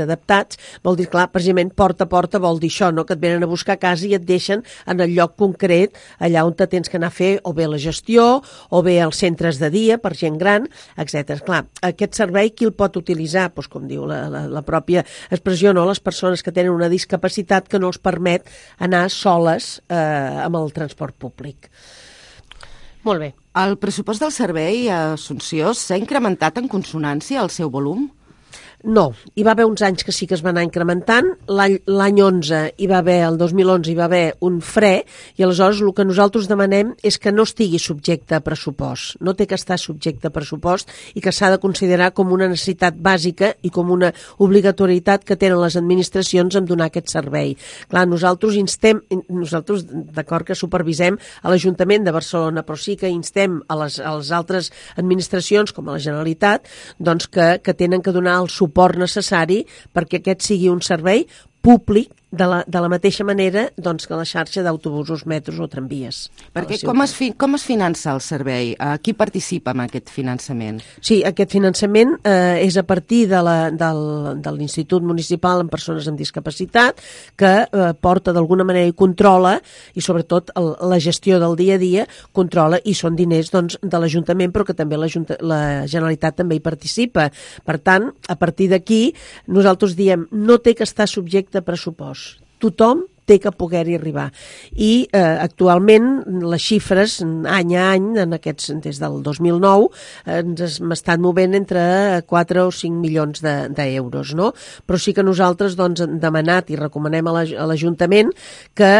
adaptats, vol dir, clar, precisament porta a porta vol dir això, no? Que et venen a buscar a casa i et deixen en el lloc concret, allà on te tens que anar a fer o bé la gestió, o bé els centres de dia per gent gran, etc. Clar, aquest servei qui el pot utilitzar? Doncs, com diu la pròpia expressió, no? Les persones que tenen una discapacitat que no els permet anar soles amb el transport públic. Molt bé. El pressupost del servei a Assumpció s'ha incrementat en consonància al seu volum? No, hi va haver uns anys que sí que es va anar incrementant, l'any 11 hi va haver, el 2011 hi va haver un fre, i aleshores el que nosaltres demanem és que no estigui subjecte a pressupost, no té que estar subjecte a pressupost i que s'ha de considerar com una necessitat bàsica i com una obligatorietat que tenen les administracions en donar aquest servei. Clar, nosaltres d'acord que supervisem a l'Ajuntament de Barcelona, però sí que instem a les altres administracions, com a la Generalitat, doncs que tenen que donar el suport necessari perquè aquest sigui un servei públic de la mateixa manera doncs, que la xarxa d'autobusos, metros o tramvies. Perquè com es finança el servei? Qui participa en aquest finançament? Sí, aquest finançament és a partir de l'Institut Municipal en Persones amb Discapacitat, que porta d'alguna manera i controla, i sobretot la gestió del dia a dia, controla, i són diners doncs, de l'Ajuntament, però que també la Generalitat també hi participa. Per tant, a partir d'aquí, nosaltres diem, no té que estar subjecte a pressupost. Tothom té que poder-hi arribar. I actualment les xifres, any a any, des del 2009, ens hem estat movent entre 4 o 5 milions d'euros, no? Però sí que nosaltres hem demanat i recomanem a l'Ajuntament que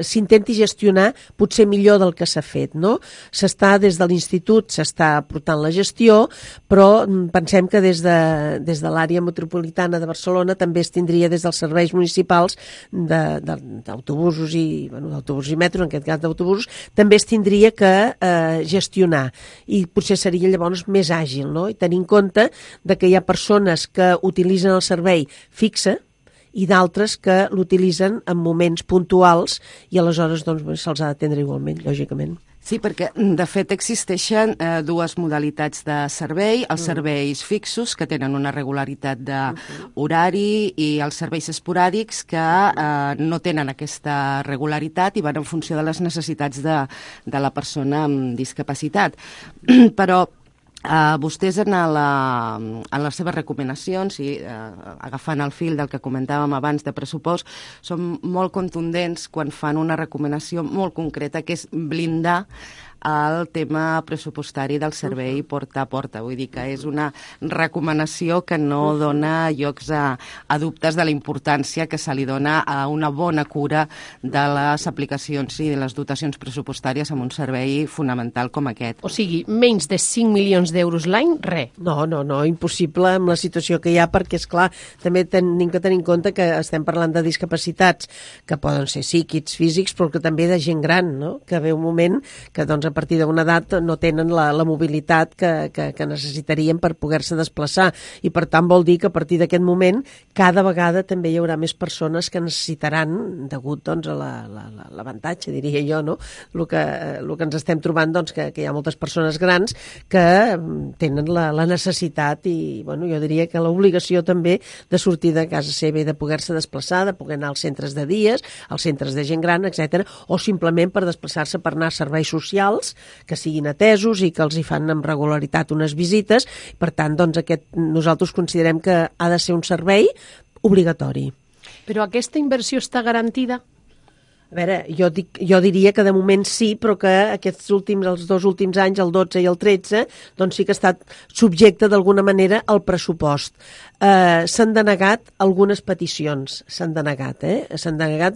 s'intenti gestionar potser millor del que s'ha fet, no? Des de l'Institut s'està portant la gestió, però pensem que des de l'àrea metropolitana de Barcelona també es tindria des dels serveis municipals d'autobusos i metros, en aquest cas d'autobusos, també es tindria que gestionar, i potser seria llavors més àgil, no? I tenir en compte que hi ha persones que utilitzen el servei fixe i d'altres que l'utilitzen en moments puntuals, i aleshores se'ls ha d'atendre igualment, lògicament. Sí, perquè de fet existeixen dues modalitats de servei, els serveis fixos, que tenen una regularitat d'horari, i els serveis esporàdics, que no tenen aquesta regularitat i van en funció de les necessitats de la persona amb discapacitat. Però vostès en les seves recomanacions, i agafant el fil del que comentàvem abans de pressupost, són molt contundents quan fan una recomanació molt concreta, que és blindar el tema pressupostari del servei porta a porta. Vull dir que és una recomanació que no dona llocs a dubtes de la importància que se li dona a una bona cura de les aplicacions i de les dotacions pressupostàries en un servei fonamental com aquest. O sigui, menys de 5 milions d'euros l'any, res. No, impossible amb la situació que hi ha, perquè, esclar, també tenim que tenir en compte que estem parlant de discapacitats que poden ser psíquics, físics, però que també de gent gran, no? Que ve un moment que, doncs, a partir d'una edat no tenen la mobilitat que necessitarien per poder-se desplaçar, i per tant vol dir que a partir d'aquest moment cada vegada també hi haurà més persones que necessitaran, degut doncs, a l'avantatge, diria jo, no? El que ens estem trobant, doncs, que hi ha moltes persones grans que tenen la necessitat i, bueno, jo diria que l'obligació també de sortir de casa seva i de poder-se desplaçar, de poder anar als centres de dies, als centres de gent gran, etc., o simplement per desplaçar-se per anar a serveis socials que siguin atesos i que els hi fan amb regularitat unes visites. Per tant, doncs, nosaltres considerem que ha de ser un servei obligatori. Però aquesta inversió està garantida? A veure, jo diria que de moment sí, però que els 2 últims anys, el 12 i el 13, doncs sí que ha estat subjecte d'alguna manera al pressupost. S'han denegat algunes peticions, s'han denegat.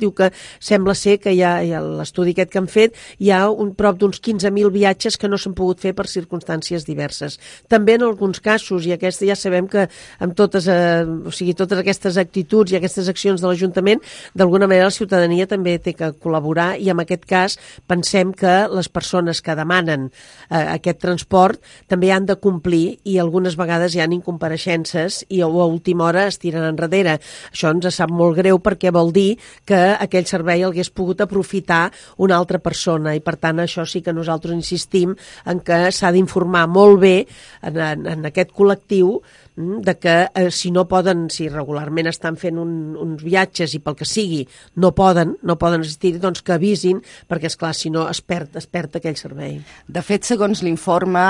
Diu que sembla ser que hi ha l'estudi aquest que han fet, hi ha prop d'uns 15.000 viatges que no s'han pogut fer per circumstàncies diverses. També en alguns casos, i ja sabem que amb totes aquestes actituds i aquestes accions de l'Ajuntament, d'alguna manera la ciutadania també té que col·laborar, i en aquest cas pensem que les persones que demanen aquest transport també han de complir, i algunes vegades hi ha incompareixences i a última hora es tiren enrere. Això ens sap molt greu perquè vol dir que aquell servei el hagués pogut aprofitar una altra persona, i per tant això sí que nosaltres insistim en que s'ha d'informar molt bé en aquest col·lectiu de que si no poden, si regularment estan fent uns viatges i pel que sigui no poden assistir, doncs que avisin, perquè esclar, si no es perd aquell servei. De fet, segons l'informe,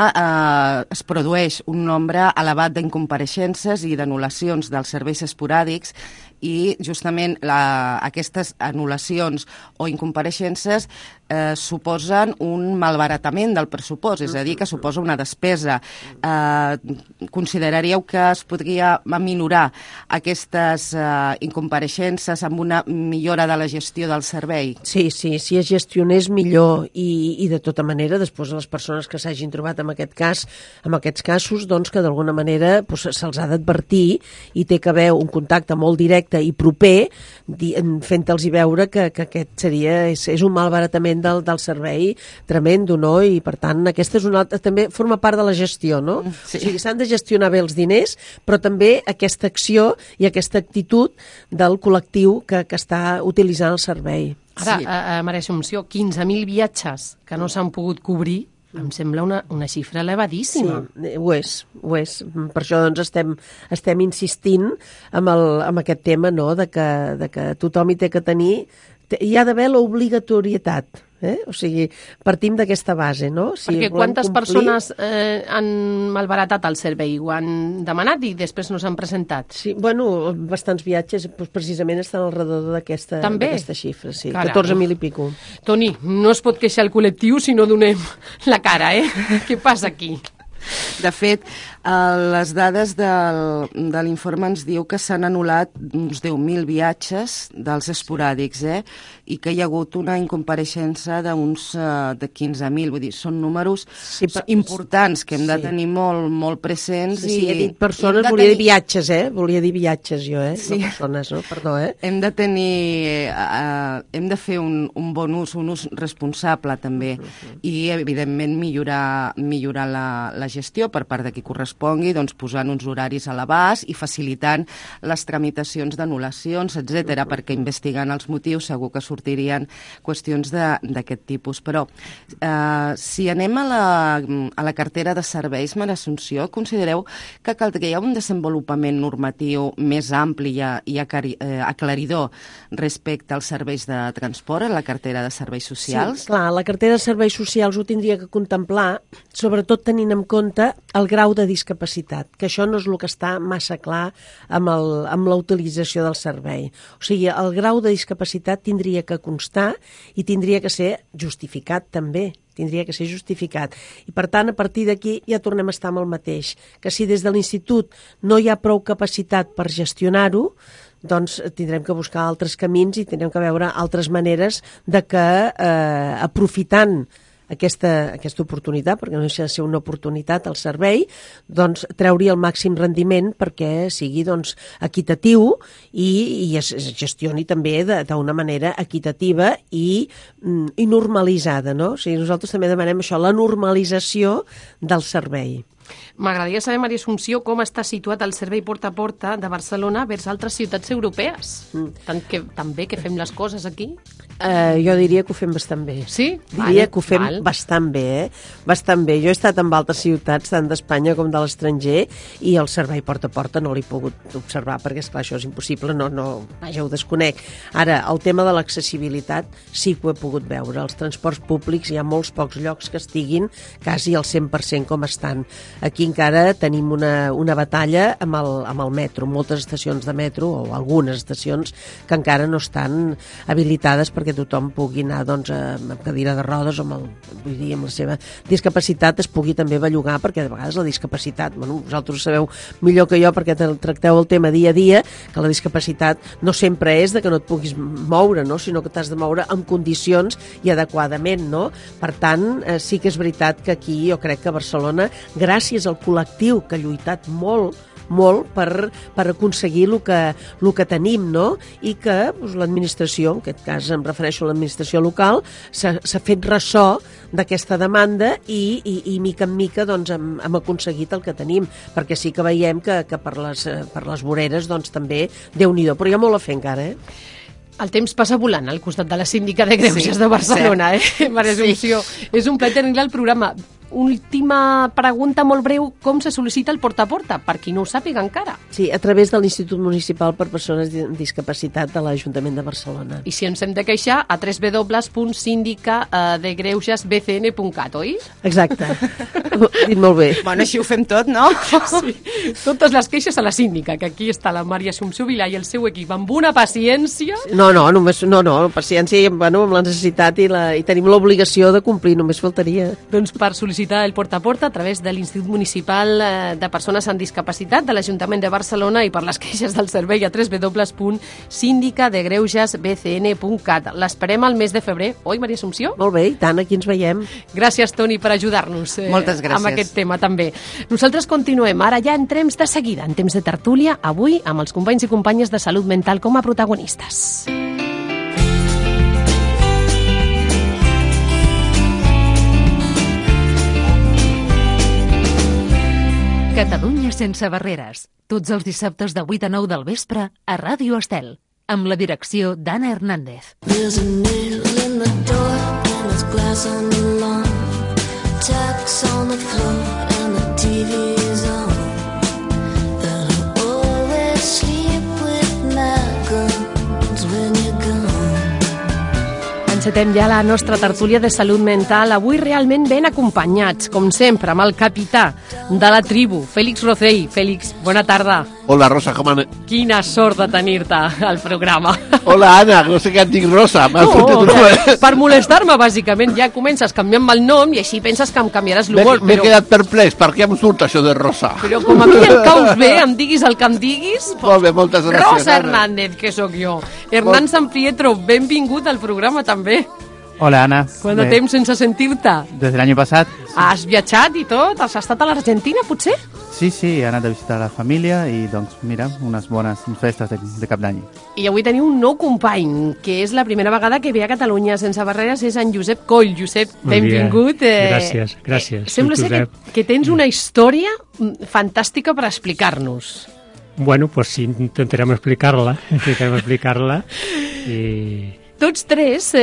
es produeix un nombre elevat d'incompareixences i d'anul·lacions dels serveis esporàdics, i justament aquestes anul·lacions o incompareixences suposen un malbaratament del pressupost, és a dir, que suposa una despesa. Consideraríeu que es podria minorar aquestes incompareixences amb una millora de la gestió del servei? Sí, si es gestionés millor, i de tota manera després les persones que s'hagin trobat en aquests casos, doncs que d'alguna manera se'ls ha d'advertir, i té que haver un contacte molt directe i proper, fent-los veure que aquest és un malbaratament del servei tremendo, no? I per tant aquesta és una altra, també forma part de la gestió, no? Sí. O sigui, s'han de gestionar bé els diners, però també aquesta acció i aquesta actitud del col·lectiu que està utilitzant el servei. Ara, Maria Assumpció, 15.000 viatges que no s'han pogut cobrir, em sembla una xifra elevadíssima. Sí, ho és. Per això doncs estem insistint amb aquest tema, no?, de que tothom hi té que tenir, hi ha d'haver l'obligatorietat. O sigui, partim d'aquesta base, no? Perquè quantes persones han malbaratat el servei? Ho han demanat i després no s'han presentat? Sí, bueno, bastants viatges precisament estan al redador d'aquesta xifra, sí, 14.000 i pico. Toni, no es pot queixar el col·lectiu si no donem la cara, Què passa aquí? De fet, les dades de l'informe ens diu que s'han anul·lat uns 10.000 viatges dels esporàdics, i que hi ha hagut una incompareixença de 15.000, vull dir, són números importants que hem de tenir molt presents. Sí, he dit persones, volia dir viatges, volia dir viatges jo, no persones, no? Perdó, Hem de fer un bon ús, un ús responsable també, i evidentment millorar la gestió per part de qui correspongui, doncs posant uns horaris a l'abast i facilitant les tramitacions d'anul·lacions, etc., perquè investigant els motius segur que sortirien qüestions d'aquest tipus. Però si anem a la cartera de serveis, Maria Assumpció, considereu que caldria un desenvolupament normatiu més ampli i aclaridor respecte als serveis de transport a la cartera de serveis socials? Sí, clar, la cartera de serveis socials ho tindria que contemplar, sobretot tenint en compte el grau de discapacitat, que això no és el que està massa clar amb la utilització del servei. O sigui, el grau de discapacitat tindria que constar i tindria que ser justificat també. Tindria que ser justificat. I, per tant, a partir d'aquí ja tornem a estar amb el mateix, que si des de l'institut no hi ha prou capacitat per gestionar-ho, doncs tindrem que buscar altres camins i tindrem que veure altres maneres de que, aprofitant aquesta oportunitat, perquè no deixa de ser una oportunitat al servei, doncs treure el màxim rendiment perquè sigui equitatiu i es gestioni també d'una manera equitativa i normalitzada, no? O sigui, nosaltres també demanem això, la normalització del servei. M'agradaria saber, Maria Assumpció, com està situat el servei porta a porta de Barcelona vers altres ciutats europees. Tan bé que fem les coses aquí? Jo diria que ho fem bastant bé. Sí? Diria que ho fem bastant bé, Bastant bé. Jo he estat en altres ciutats, tant d'Espanya com de l'estranger, i el servei porta a porta no l'he pogut observar, perquè, esclar, això és impossible, vaja, ho desconec. Ara, el tema de l'accessibilitat sí que ho he pogut veure. Els transports públics hi ha molts pocs llocs que estiguin quasi al 100% com estan. Aquí encara tenim una batalla amb el metro, moltes estacions de metro o algunes estacions que encara no estan habilitades perquè tothom pugui anar doncs, amb cadira de rodes o amb la seva discapacitat es pugui també bellugar, perquè de vegades la discapacitat, vosaltres ho sabeu millor que jo perquè tracteu el tema dia a dia, que la discapacitat no sempre és de que no et puguis moure, no? Sinó que t'has de moure en condicions i adequadament, no? Per tant, sí que és veritat que aquí jo crec que a Barcelona, gràcies al col·lectiu que ha lluitat molt per aconseguir el que tenim, no? I que doncs, l'administració, en aquest cas em refereixo a l'administració local, s'ha fet ressò d'aquesta demanda i mica en mica doncs, hem aconseguit el que tenim, perquè sí que veiem que per les voreres doncs, també Déu-n'hi-do, però hi ha molt a fer encara, El temps passa volant al costat de la síndica de Greuges de Barcelona, Maria Assumpció. És un plaer tenir-la al programa. Última pregunta molt breu, com se sol·licita el porta a porta? Per qui no ho sàpiga encara. Sí, a través de l'Institut Municipal per Persones amb Discapacitat de l'Ajuntament de Barcelona. I si ens hem de queixar, a www.sindicadegreusgesbcn.cat, oi? Exacte. Dit molt bé. Bueno, així ho fem tot, no? Sí. Totes les queixes a la síndica, que aquí està la Maria Assumpció Vilà i el seu equip amb una paciència. No, paciència amb la necessitat i tenim l'obligació de complir, només faltaria. Doncs per sol·licitar el porta a porta a través de l'Institut Municipal de Persones amb Discapacitat de l'Ajuntament de Barcelona i per les queixes del servei a www.sindicadegreusgesbcn.cat. L'esperem al mes de febrer, oi, Maria Assumpció? Molt bé, i tant, aquí ens veiem. Gràcies, Toni, per ajudar-nos Moltes gràcies. amb aquest tema també. Nosaltres continuem, ara ja entrem de seguida, en temps de tertúlia, avui amb els companys i companyes de salut mental com a protagonistes. Catalunya sense barreres. Tots els dissabtes de 8 a 9 del vespre a Ràdio Estel, amb la direcció d'Anna Hernández. There's a nail in the door and there's glass on the lawn. Tacks on the floor and the TV's on. They'll always sleep with my guns when you're gone. Encetem ja la nostra tertúlia de salut mental, avui realment ben acompanyats, com sempre, amb el capità de la tribu, Félix Rocell. Félix, bona tarda. Hola, Rosa, com anem? Quina sort de tenir-te al programa. Hola, Anna, no sé què et dic, Rosa. Per molestar-me, bàsicament. Ja comences canviant-me el nom i així penses que em canviaràs l'humor. M'he quedat perplex, per què em surt això de Rosa? Però com a mi em caus bé, em diguis el que em diguis... Molt bé, moltes gràcies, Rosa Anna. Hernández, que sóc jo. Hernán San Pietro, benvingut al programa també. Hola, Ana. Quant de temps sense sentir-te? Des de l'any passat. Has viatjat i tot? Has estat a l'Argentina, potser? Sí, he anat a visitar la família i, doncs, mira, unes bones festes de cap d'any. I avui teniu un nou company, que és la primera vegada que ve a Catalunya Sense Barreres, és en Josep Coll. Josep, benvingut. Gràcies. Sembla ser que tens una història fantàstica per explicar-nos. Bueno, pues sí, intentarem explicar-la i... Tots tres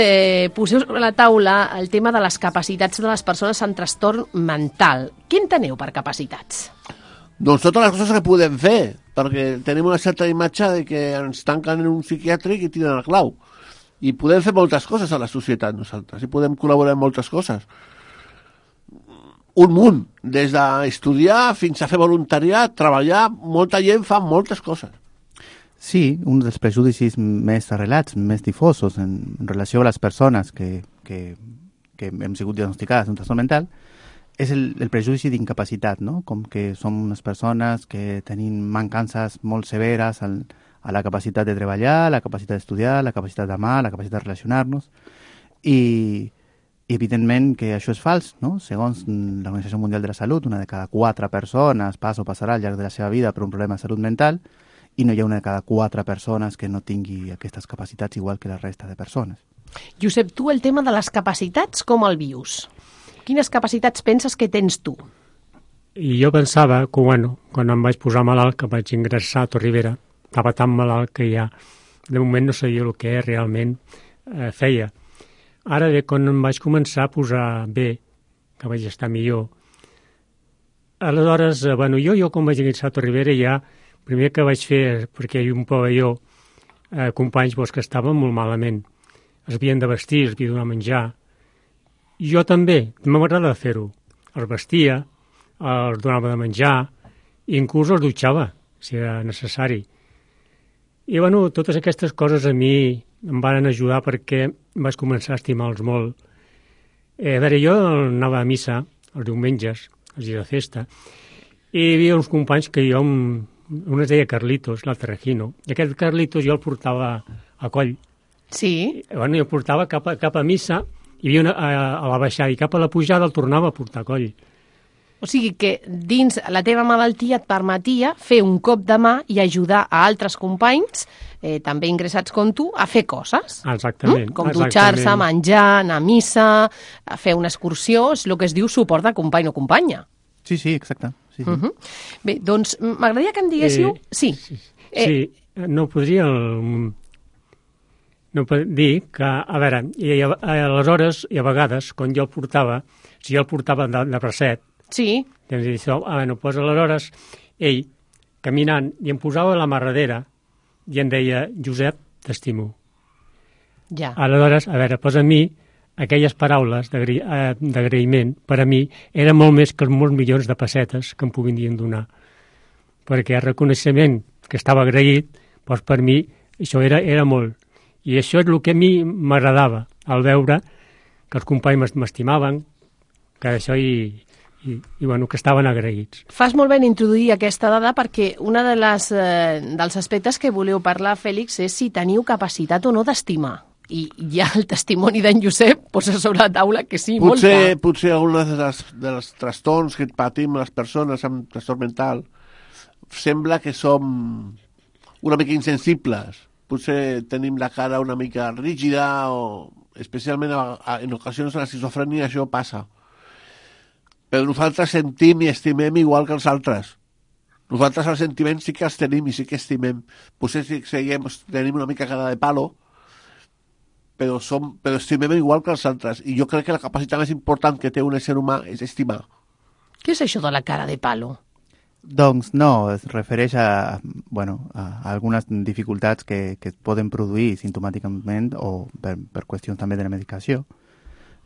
poseu sobre la taula el tema de les capacitats de les persones amb trastorn mental. Què enteneu per capacitats? Doncs totes les coses que podem fer, perquè tenim una certa imatge de que ens tanquen en un psiquiàtric i tiren el clau. I podem fer moltes coses a la societat nosaltres, i podem col·laborar en moltes coses. Un munt, des d'estudiar fins a fer voluntariat, treballar, molta gent fa moltes coses. Sí, un dels prejudicis més arrelats, més difosos en relació a les persones que hem sigut diagnosticades d'un trastorn mental és el prejudici d'incapacitat, no? Com que som unes persones que tenim mancances molt severes a la capacitat de treballar, la capacitat d'estudiar, la capacitat d'amar, la capacitat de relacionar-nos i evidentment que això és fals, no? Segons l'Organització Mundial de la Salut, una de cada 4 persones passa o passarà al llarg de la seva vida per un problema de salut mental i no hi ha una de cada 4 persones que no tingui aquestes capacitats igual que la resta de persones. Josep, tu el tema de les capacitats com el vius? Quines capacitats penses que tens tu? I jo pensava que, quan em vaig posar malalt, que vaig ingressar a Torribera, estava tan malalt que ja, de moment no sabia el que realment feia. Ara, quan em vaig començar a posar bé, que vaig estar millor, aleshores, jo quan vaig ingressar a Torribera ja primer que vaig fer, perquè hi ha un pavelló, companys que estaven molt malament. Es havien de vestir, es havia de donar menjar. Jo també, m'agrada fer-ho. Els vestia, els donava de menjar, i inclús els dutxava, si era necessari. I, bueno, totes aquestes coses a mi em van ajudar perquè vaig començar a estimar-los molt. A veure, jo anava a missa els diumenges, els dies de festa, i hi havia uns companys que jo, un es deia Carlitos, l'altre Regino, i aquest Carlitos jo el portava a coll. Sí? Bueno, jo el portava cap a missa, hi havia a la baixada, i cap a la pujada el tornava a portar a coll. O sigui que dins la teva malaltia et permetia fer un cop de mà i ajudar a altres companys, també ingressats com tu, a fer coses. Exactament. Com dutxar-se, menjar, anar a missa, a fer una excursió, és el que es diu suport de company o companya. Sí, sí, exacte. Sí, sí. Bé, doncs m'agradaria que em diguéssiu... Sí. No podria dir que, a veure, aleshores i a vegades, quan jo el portava, si jo el portava de bracet, sí. Doncs aleshores ell, caminant, i em posava la mà darrere i em deia, Josep, t'estimo. Ja. Aleshores, a veure, doncs a mi, aquelles paraules d'agraïment, per a mi, eren molt més que els molts milions de pessetes que em puguin donar. Perquè el reconeixement que estava agraït, doncs per mi, això era molt. I això és el que a mi m'agradava, al veure que els companys m'estimaven, que això i bueno, que estaven agraïts. Fas molt bé en introduir aquesta dada perquè una dels aspectes que voleu parlar, Fèlix, és si teniu capacitat o no d'estimar. I ja el testimoni d'en Josep posa sobre la taula que sí, molta. Potser algunes dels trastorns que patim les persones amb trastorn mental sembla que som una mica insensibles. Potser tenim la cara una mica rígida o especialment en ocasions a l'esquizofrènia això passa. Però nosaltres sentim i estimem igual que els altres. Nosaltres els sentiments sí que els tenim i sí que estimem. Potser tenim una mica cara de palo, però estimem igual que els altres. I jo crec que la capacitat més important que té un ésser humà és estimar. Què és això de la cara de palo? Doncs no, es refereix a algunes dificultats que es poden produir simptomàticament o per qüestions també de la medicació,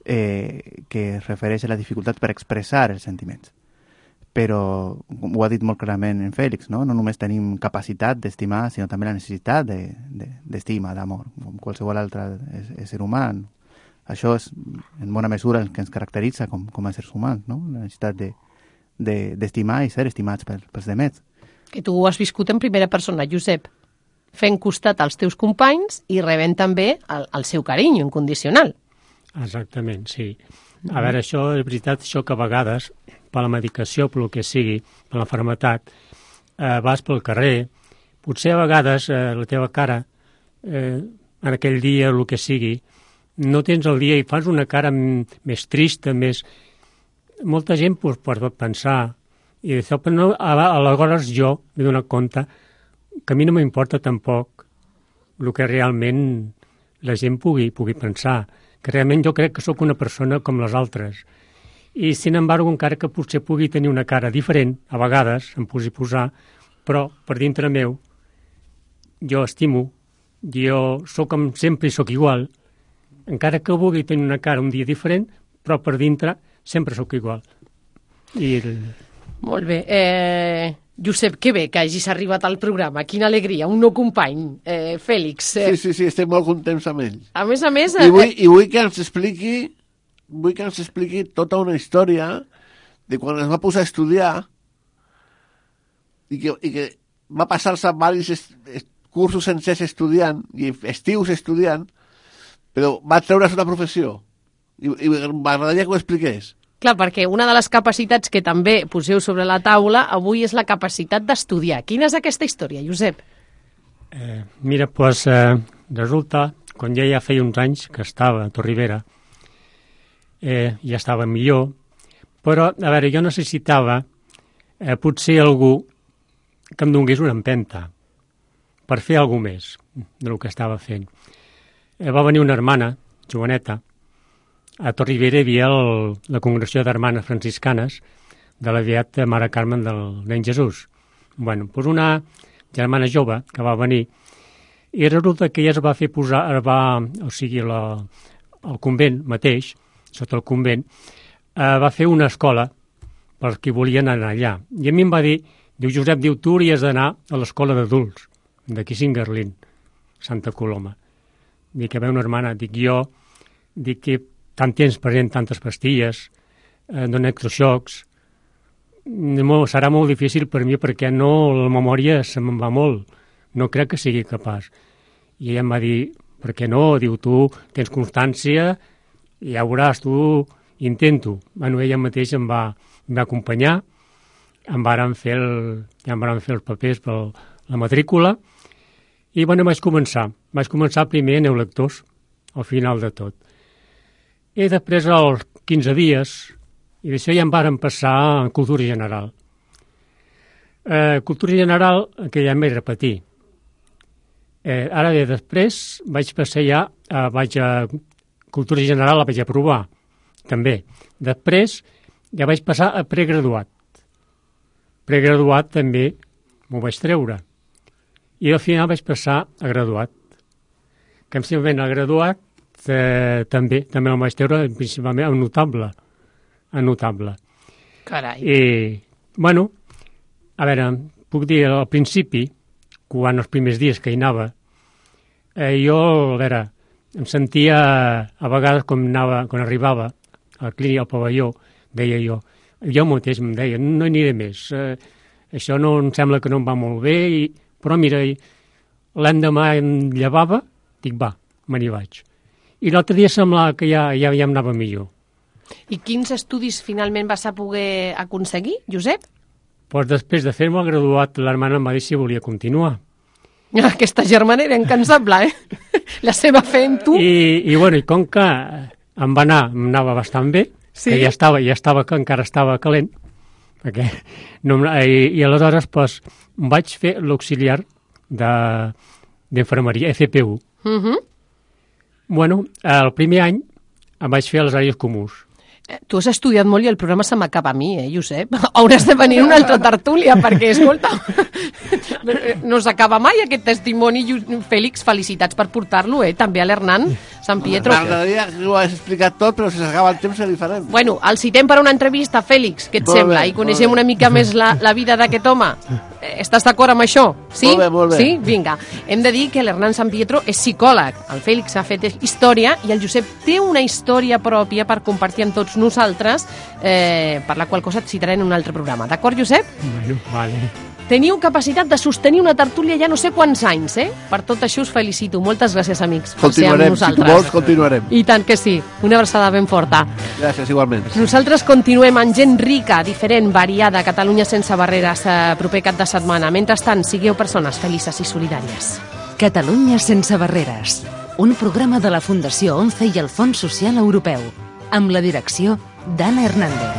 que es refereix a la dificultat per expressar els sentiments. Però, ho ha dit molt clarament en Fèlix, no només tenim capacitat d'estimar, sinó també la necessitat d'estima, d'amor, com qualsevol altre ésser humà. Això és, en bona mesura, el que ens caracteritza com a éssers humans, no? La necessitat d'estimar i ser estimats pels demés. Que tu ho has viscut en primera persona, Josep, fent costat als teus companys i rebent també el seu carinyo incondicional. Exactament, sí. A veure, això és veritat, això que a vegades, per la medicació, per el que sigui, per l'enfermetat, vas pel carrer, potser a vegades la teva cara, en aquell dia, el que sigui, no tens el dia i fas una cara més trista, més... Molta gent pot pensar, i d'això, però no, aleshores jo m'he donat compte que a mi no m'importa tampoc el que realment la gent pugui pensar, que realment jo crec que sóc una persona com les altres. I, sin embargo, encara que potser pugui tenir una cara diferent, a vegades em pugui posar, però per dintre meu jo estimo, jo sóc com sempre i sóc igual, encara que vulgui tenir una cara un dia diferent, però per dintre sempre sóc igual. Molt bé. Josep, que bé que hagis arribat al programa. Quina alegria, un nou company, Fèlix. Sí, estem molt contents amb ell. A més... I vull que ens expliqui tota una història de quan es va posar a estudiar i que va passar-se diversos cursos sencers estudiant i estius estudiant, però va treure's una professió. I m'agradaria que ho expliqués. Clar, perquè una de les capacitats que també poseu sobre la taula avui és la capacitat d'estudiar. Quina és aquesta història, Josep? Mira, doncs resulta, quan ja feia uns anys que estava a Torribera, ja estava millor, però, a veure, jo necessitava potser algú que em donés una empenta per fer alguna més del que estava fent. Va venir una hermana, joveneta, a Torribera hi havia la congregació d'hermanes franciscanes de la Beata Mare Carmen del Nen Jesús. Bueno, doncs una germana jove que va venir i resulta que ella es va fer posar, al convent mateix, sota el convent, va fer una escola per qui volien anar allà. I a mi em va dir, diu Josep, diu, tu hauries d'anar a l'escola d'adults, d'aquí Singarlín, Santa Coloma. Dic, a veure, una hermana, dic, jo, dic que tant temps prenent tantes pastilles, donen electroxocs, serà molt difícil per mi perquè no, la memòria se me'n va molt, no crec que sigui capaç. I ella em va dir, per què no? Diu, tu tens constància, i ja veuràs, tu intento. Bueno, ella mateix em va acompanyar, em varen fer els papers per la matrícula, i bueno, vaig començar primer a neolectors, al final de tot. I després, als 15 dies, i d'això ja em varen passar a cultura general. Cultura general, que ja em vaig repetir. Ara bé, després vaig passar ja, a cultura general la vaig aprovar, també. Després ja vaig passar a pregraduat. Pregraduat també m'ho vaig treure. I al final vaig passar a graduat. Que simplement a graduat també el vaig treure principalment a notable. Carai. I, bueno, a veure, puc dir, al principi, quan els primers dies que hi anava, jo, a veure, em sentia, a vegades, quan arribava al clínic, al pavelló, deia jo mateix em deia, no hi aniré més, això no em sembla que no em va molt bé, però mira, l'endemà em llevava, dic, va, me n'hi vaig. I l'altre dia semblava que ja em anava millor. I quins estudis finalment vas a poder aconseguir, Josep? Pues després de fer-me el graduat, l'hermana em va dir si volia continuar. Aquesta germana era incansable, La seva fe en tu. I com que em anava bastant bé, sí? Que encara estava calent, perquè i aleshores pues, vaig fer l'auxiliar d'infermeria, FPU. Bueno, el primer any em vaig fer els àrees comuns. Tu has estudiat molt i el programa se m'acaba a mi, Josep? Hauràs de venir una altra tertúlia, perquè, escolta, no s'acaba mai aquest testimoni. Fèlix, felicitats per portar-lo, també a l'Hernán Sant Pietro. M'agradaria que ho hagués explicat tot, però si s'acaba el temps se li farem. Bueno, el citem per una entrevista, Fèlix, què et sembla? I coneixem una mica més la vida d'aquest home. Estàs d'acord amb això? Sí? Molt bé. Sí? Vinga. Hem de dir que l'Hernán Sant Pietro és psicòleg, el Fèlix ha fet història i el Josep té una història pròpia per compartir amb tots nosaltres, per la qual cosa et citaré en un altre programa. D'acord, Josep? Bueno, vale. Teniu capacitat de sostenir una tertúlia ja no sé quants anys, Per tot això us felicito. Moltes gràcies, amics, per ser amb nosaltres. Si tu vols, continuarem. I tant que sí. Una abraçada ben forta. Gràcies, igualment. Nosaltres continuem amb gent rica, diferent, variada, Catalunya sense barreres, proper cap de setmana. Mentrestant, sigueu persones felices i solidàries. Catalunya sense barreres. Un programa de la Fundació 11 i el Fons Social Europeu. Amb la direcció d'Anna Hernández.